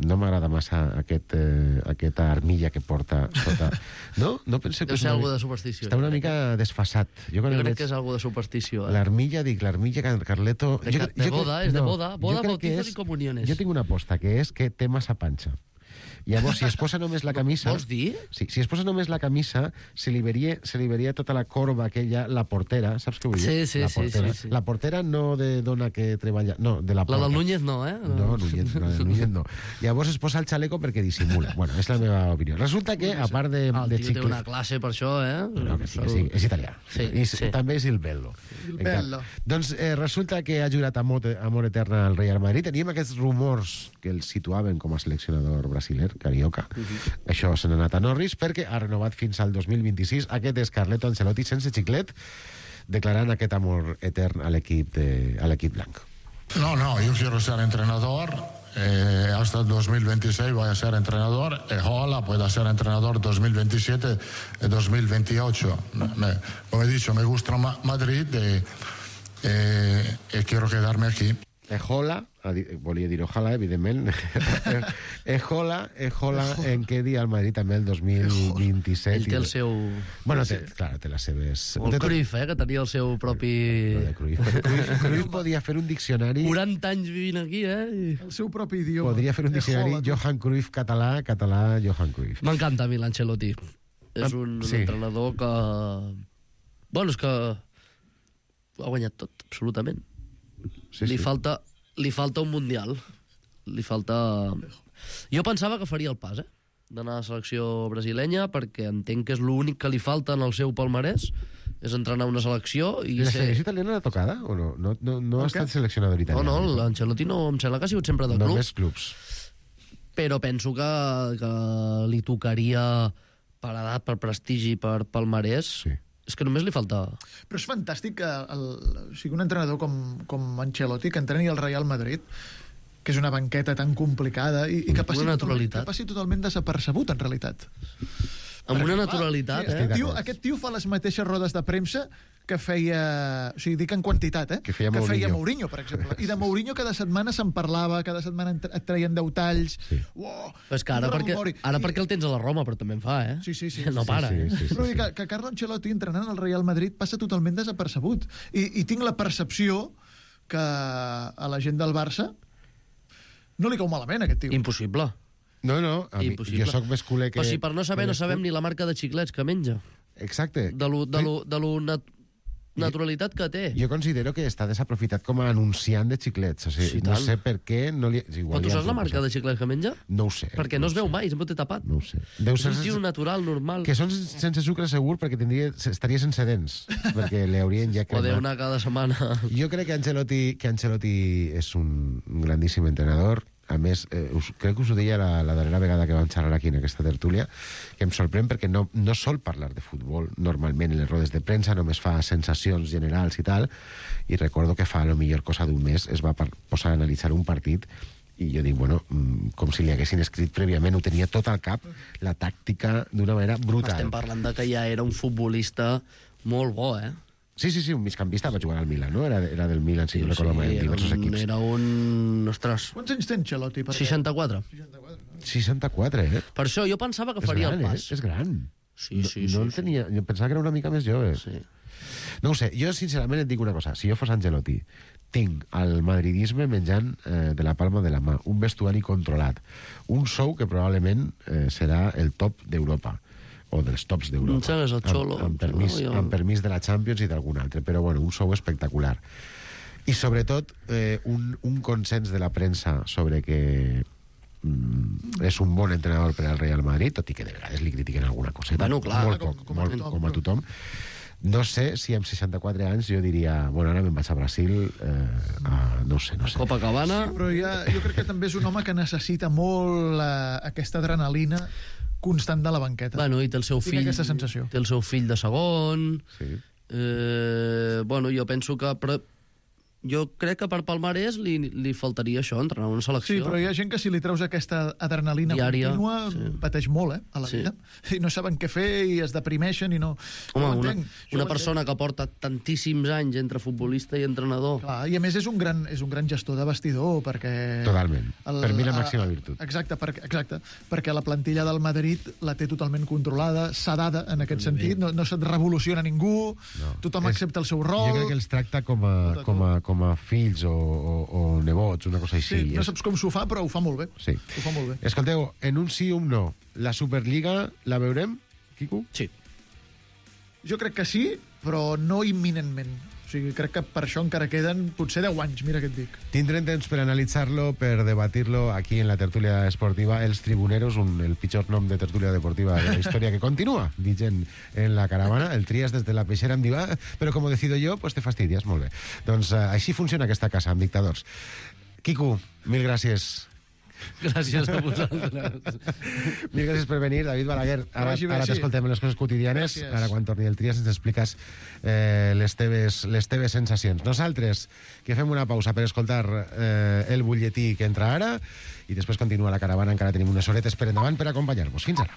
no m'agrada massa aquesta armilla que porta sota. No penseu que Deu ser alguna de superstició. Està una mica desfasat. Jo crec que és alguna de superstició. L'armilla Carleto... De boda, és de boda. Boda, bautizos i comuniones. Jo tinc una aposta, que és que té massa panxa. Llavors, si es posa només la camisa... Vols dir? Sí, si es posa només la camisa, se li veria tota la corba aquella, la portera, saps què vull dir? Sí. La portera no de dona que treballa... No, de la porta. La del Núñez no, eh? No, la del Núñez no. Llavors es posa el xaleco perquè dissimula. Bueno, és la meva opinió. Resulta que, a part de el tio té una classe per això, eh? No, que sí, és italià. I també és il bello. Doncs resulta que ha jurat amor eterna al Real Madrid. Teníem aquests rumors que el situaven com a seleccionador brasiler, Carioca. Això se n'ha anat a Norris perquè ha renovat fins al 2026. Aquest és Carleto Ancelotti sense xiclet, declarant aquest amor etern a l'equip blanc. No, yo quiero ser entrenador. Hasta el 2026 voy a ser entrenador. Ojalá pueda ser entrenador 2027 y 2028. Como he dicho, me gusta Madrid y quiero quedarme aquí. Ejola, volia dir ojalà, evidentment. Ejola en quedi al Madrid també el 2027. Ell té el seu... Bueno, té les seves... O el Cruyff, que tenia el seu propi... Cruyff podia fer un diccionari... 40 anys vivint aquí, El seu propi idioma. Podria fer un diccionari Johan Cruyff català, Johan Cruyff. M'encanta a mi l'Ancelotti. És un entrenador que... Bueno, és que ho ha guanyat tot, absolutament. Li falta un mundial. Li falta... Jo pensava que faria el pas, d'anar a la selecció brasilenya, perquè entenc que és l'únic que li falta en el seu palmarès, és entrenar una selecció i la selecció italiana era tocada o no? No ha estat seleccionador italià. No, l'Ancelotti no, em sembla que ha sigut sempre de club. Només clubs. Però penso que li tocaria per edat, per prestigi, per palmarès. Sí. És que només li falta... Però és fantàstic que un entrenador com Ancelotti, que entreni el Real Madrid, que és una banqueta tan complicada i que passi totalment desapercebut, en realitat. Amb una naturalitat, Aquest tio fa les mateixes rodes de premsa que feia... O sigui, dic en quantitat, que feia Mourinho, per exemple. I de Mourinho cada setmana se'n parlava, cada setmana et treien 10 talls... Sí. És que ara perquè el tens a la Roma, però també en fa, Sí. No para, Però que Carlo Ancelotti, entrenant al Real Madrid, passa totalment desapercebut. I tinc la percepció que a la gent del Barça no li cau malament, aquest tio. Impossible. No, jo sóc més culer que... Però si per no saber no sabem ni la marca de xiclets que menja. Exacte. De lo naturalitat que té. Jo considero que està desaprofitat com a anunciant de xiclets. O sigui, no sé per què... Però tu saps la marca de xiclets que menja? No ho sé. Perquè no es veu mai, sempre té tapat. No ho sé. És un tio natural, normal. Que són sense sucre segur perquè estaria sense dents, perquè li haurien ja cremat. O una cada setmana. Jo crec que Ancelotti és un grandíssim entrenador. A més, crec que us ho deia la darrera vegada que vam xerrar aquí en aquesta tertúlia, que em sorprèn perquè no sol parlar de futbol normalment en les rodes de premsa, només fa sensacions generals i tal, i recordo que fa a lo millor cosa d'un mes es va posar a analitzar un partit i jo dic, bueno, com si li haguessin escrit prèviament, ho tenia tot al cap, la tàctica d'una manera brutal. Estem parlant de que ja era un futbolista molt bo, Sí, un migcampista va jugar al Milan, no? Era del Milan, si no recordo mai, en diversos equips. Era un... Ostres. Quants anys té Ancelotti? 64. 64, Per això jo pensava que faria el pas. És gran. Sí. No el tenia... Jo pensava que era una mica més jove. Sí. No ho sé, jo sincerament et dic una cosa. Si jo fos Ancelotti, tinc el madridisme menjant de la palma de la mà, un vestuari controlat, un sou que probablement serà el top d'Europa, o dels tops d'Europa, amb permís de la Champions i d'algun altre, però bueno, un sou espectacular. I sobretot un consens de la premsa sobre que és un bon entrenador per al Real Madrid, tot i que de vegades li critiquen alguna cosa. Bueno, clar, molt poc, com a tothom. No sé si amb 64 anys jo diria, bueno, ara me'n vaig a Brasil, no sé. Copacabana... Sí, però jo crec que també és un home que necessita molt aquesta adrenalina constant de la banqueta. Bueno, i té el seu fill... aquesta sensació. Té el seu fill de segon... Sí. Bueno, jo penso que... jo crec que per palmarès li faltaria això, entrenar una selecció. Sí, però hi ha gent que si li treus aquesta adrenalina diària, contínua pateix molt, a la vida. I no saben què fer i es deprimeixen i no... Home, una persona que porta tantíssims anys entre futbolista i entrenador... Clar, i a més és un gran gestor de vestidor, perquè... Totalment. Per mi la màxima virtut. Exacte, perquè la plantilla del Madrid la té totalment controlada, sedada en aquest sentit, no se't revoluciona ningú, tothom accepta el seu rol... Jo crec que els tracta com a fills o nebots, una cosa així. Sí, no saps com s'ho fa, però ho fa molt bé. Sí. Ho fa molt bé. Escolteu, en un sí o un no, la Superliga la veurem, Quico? Sí. Jo crec que sí, però no imminentment. O sigui, crec que per això encara queden potser 10 anys, mira què et dic. Tindrem temps per analitzar-lo, per debatir-lo aquí en la tertúlia esportiva Els Tribuneros, el pitjor nom de tertúlia deportiva de la història que continua vigent en la caravana. El tries des de la peixera em diu, però com ho decido jo, pues te fastidies. Molt bé. Doncs així funciona aquesta casa, amb dictadors. Quico, mil gràcies. Gràcies a vosaltres. Mil gràcies per venir, David Balaguer. Ara t'escoltem en les coses quotidianes. Gràcies. Ara, quan torni el Trias, ens expliques les teves sensacions. Nosaltres, que fem una pausa per escoltar el butlletí que entra ara i després continua la caravana. Encara tenim unes horetes per endavant per acompanyar-vos. Fins ara.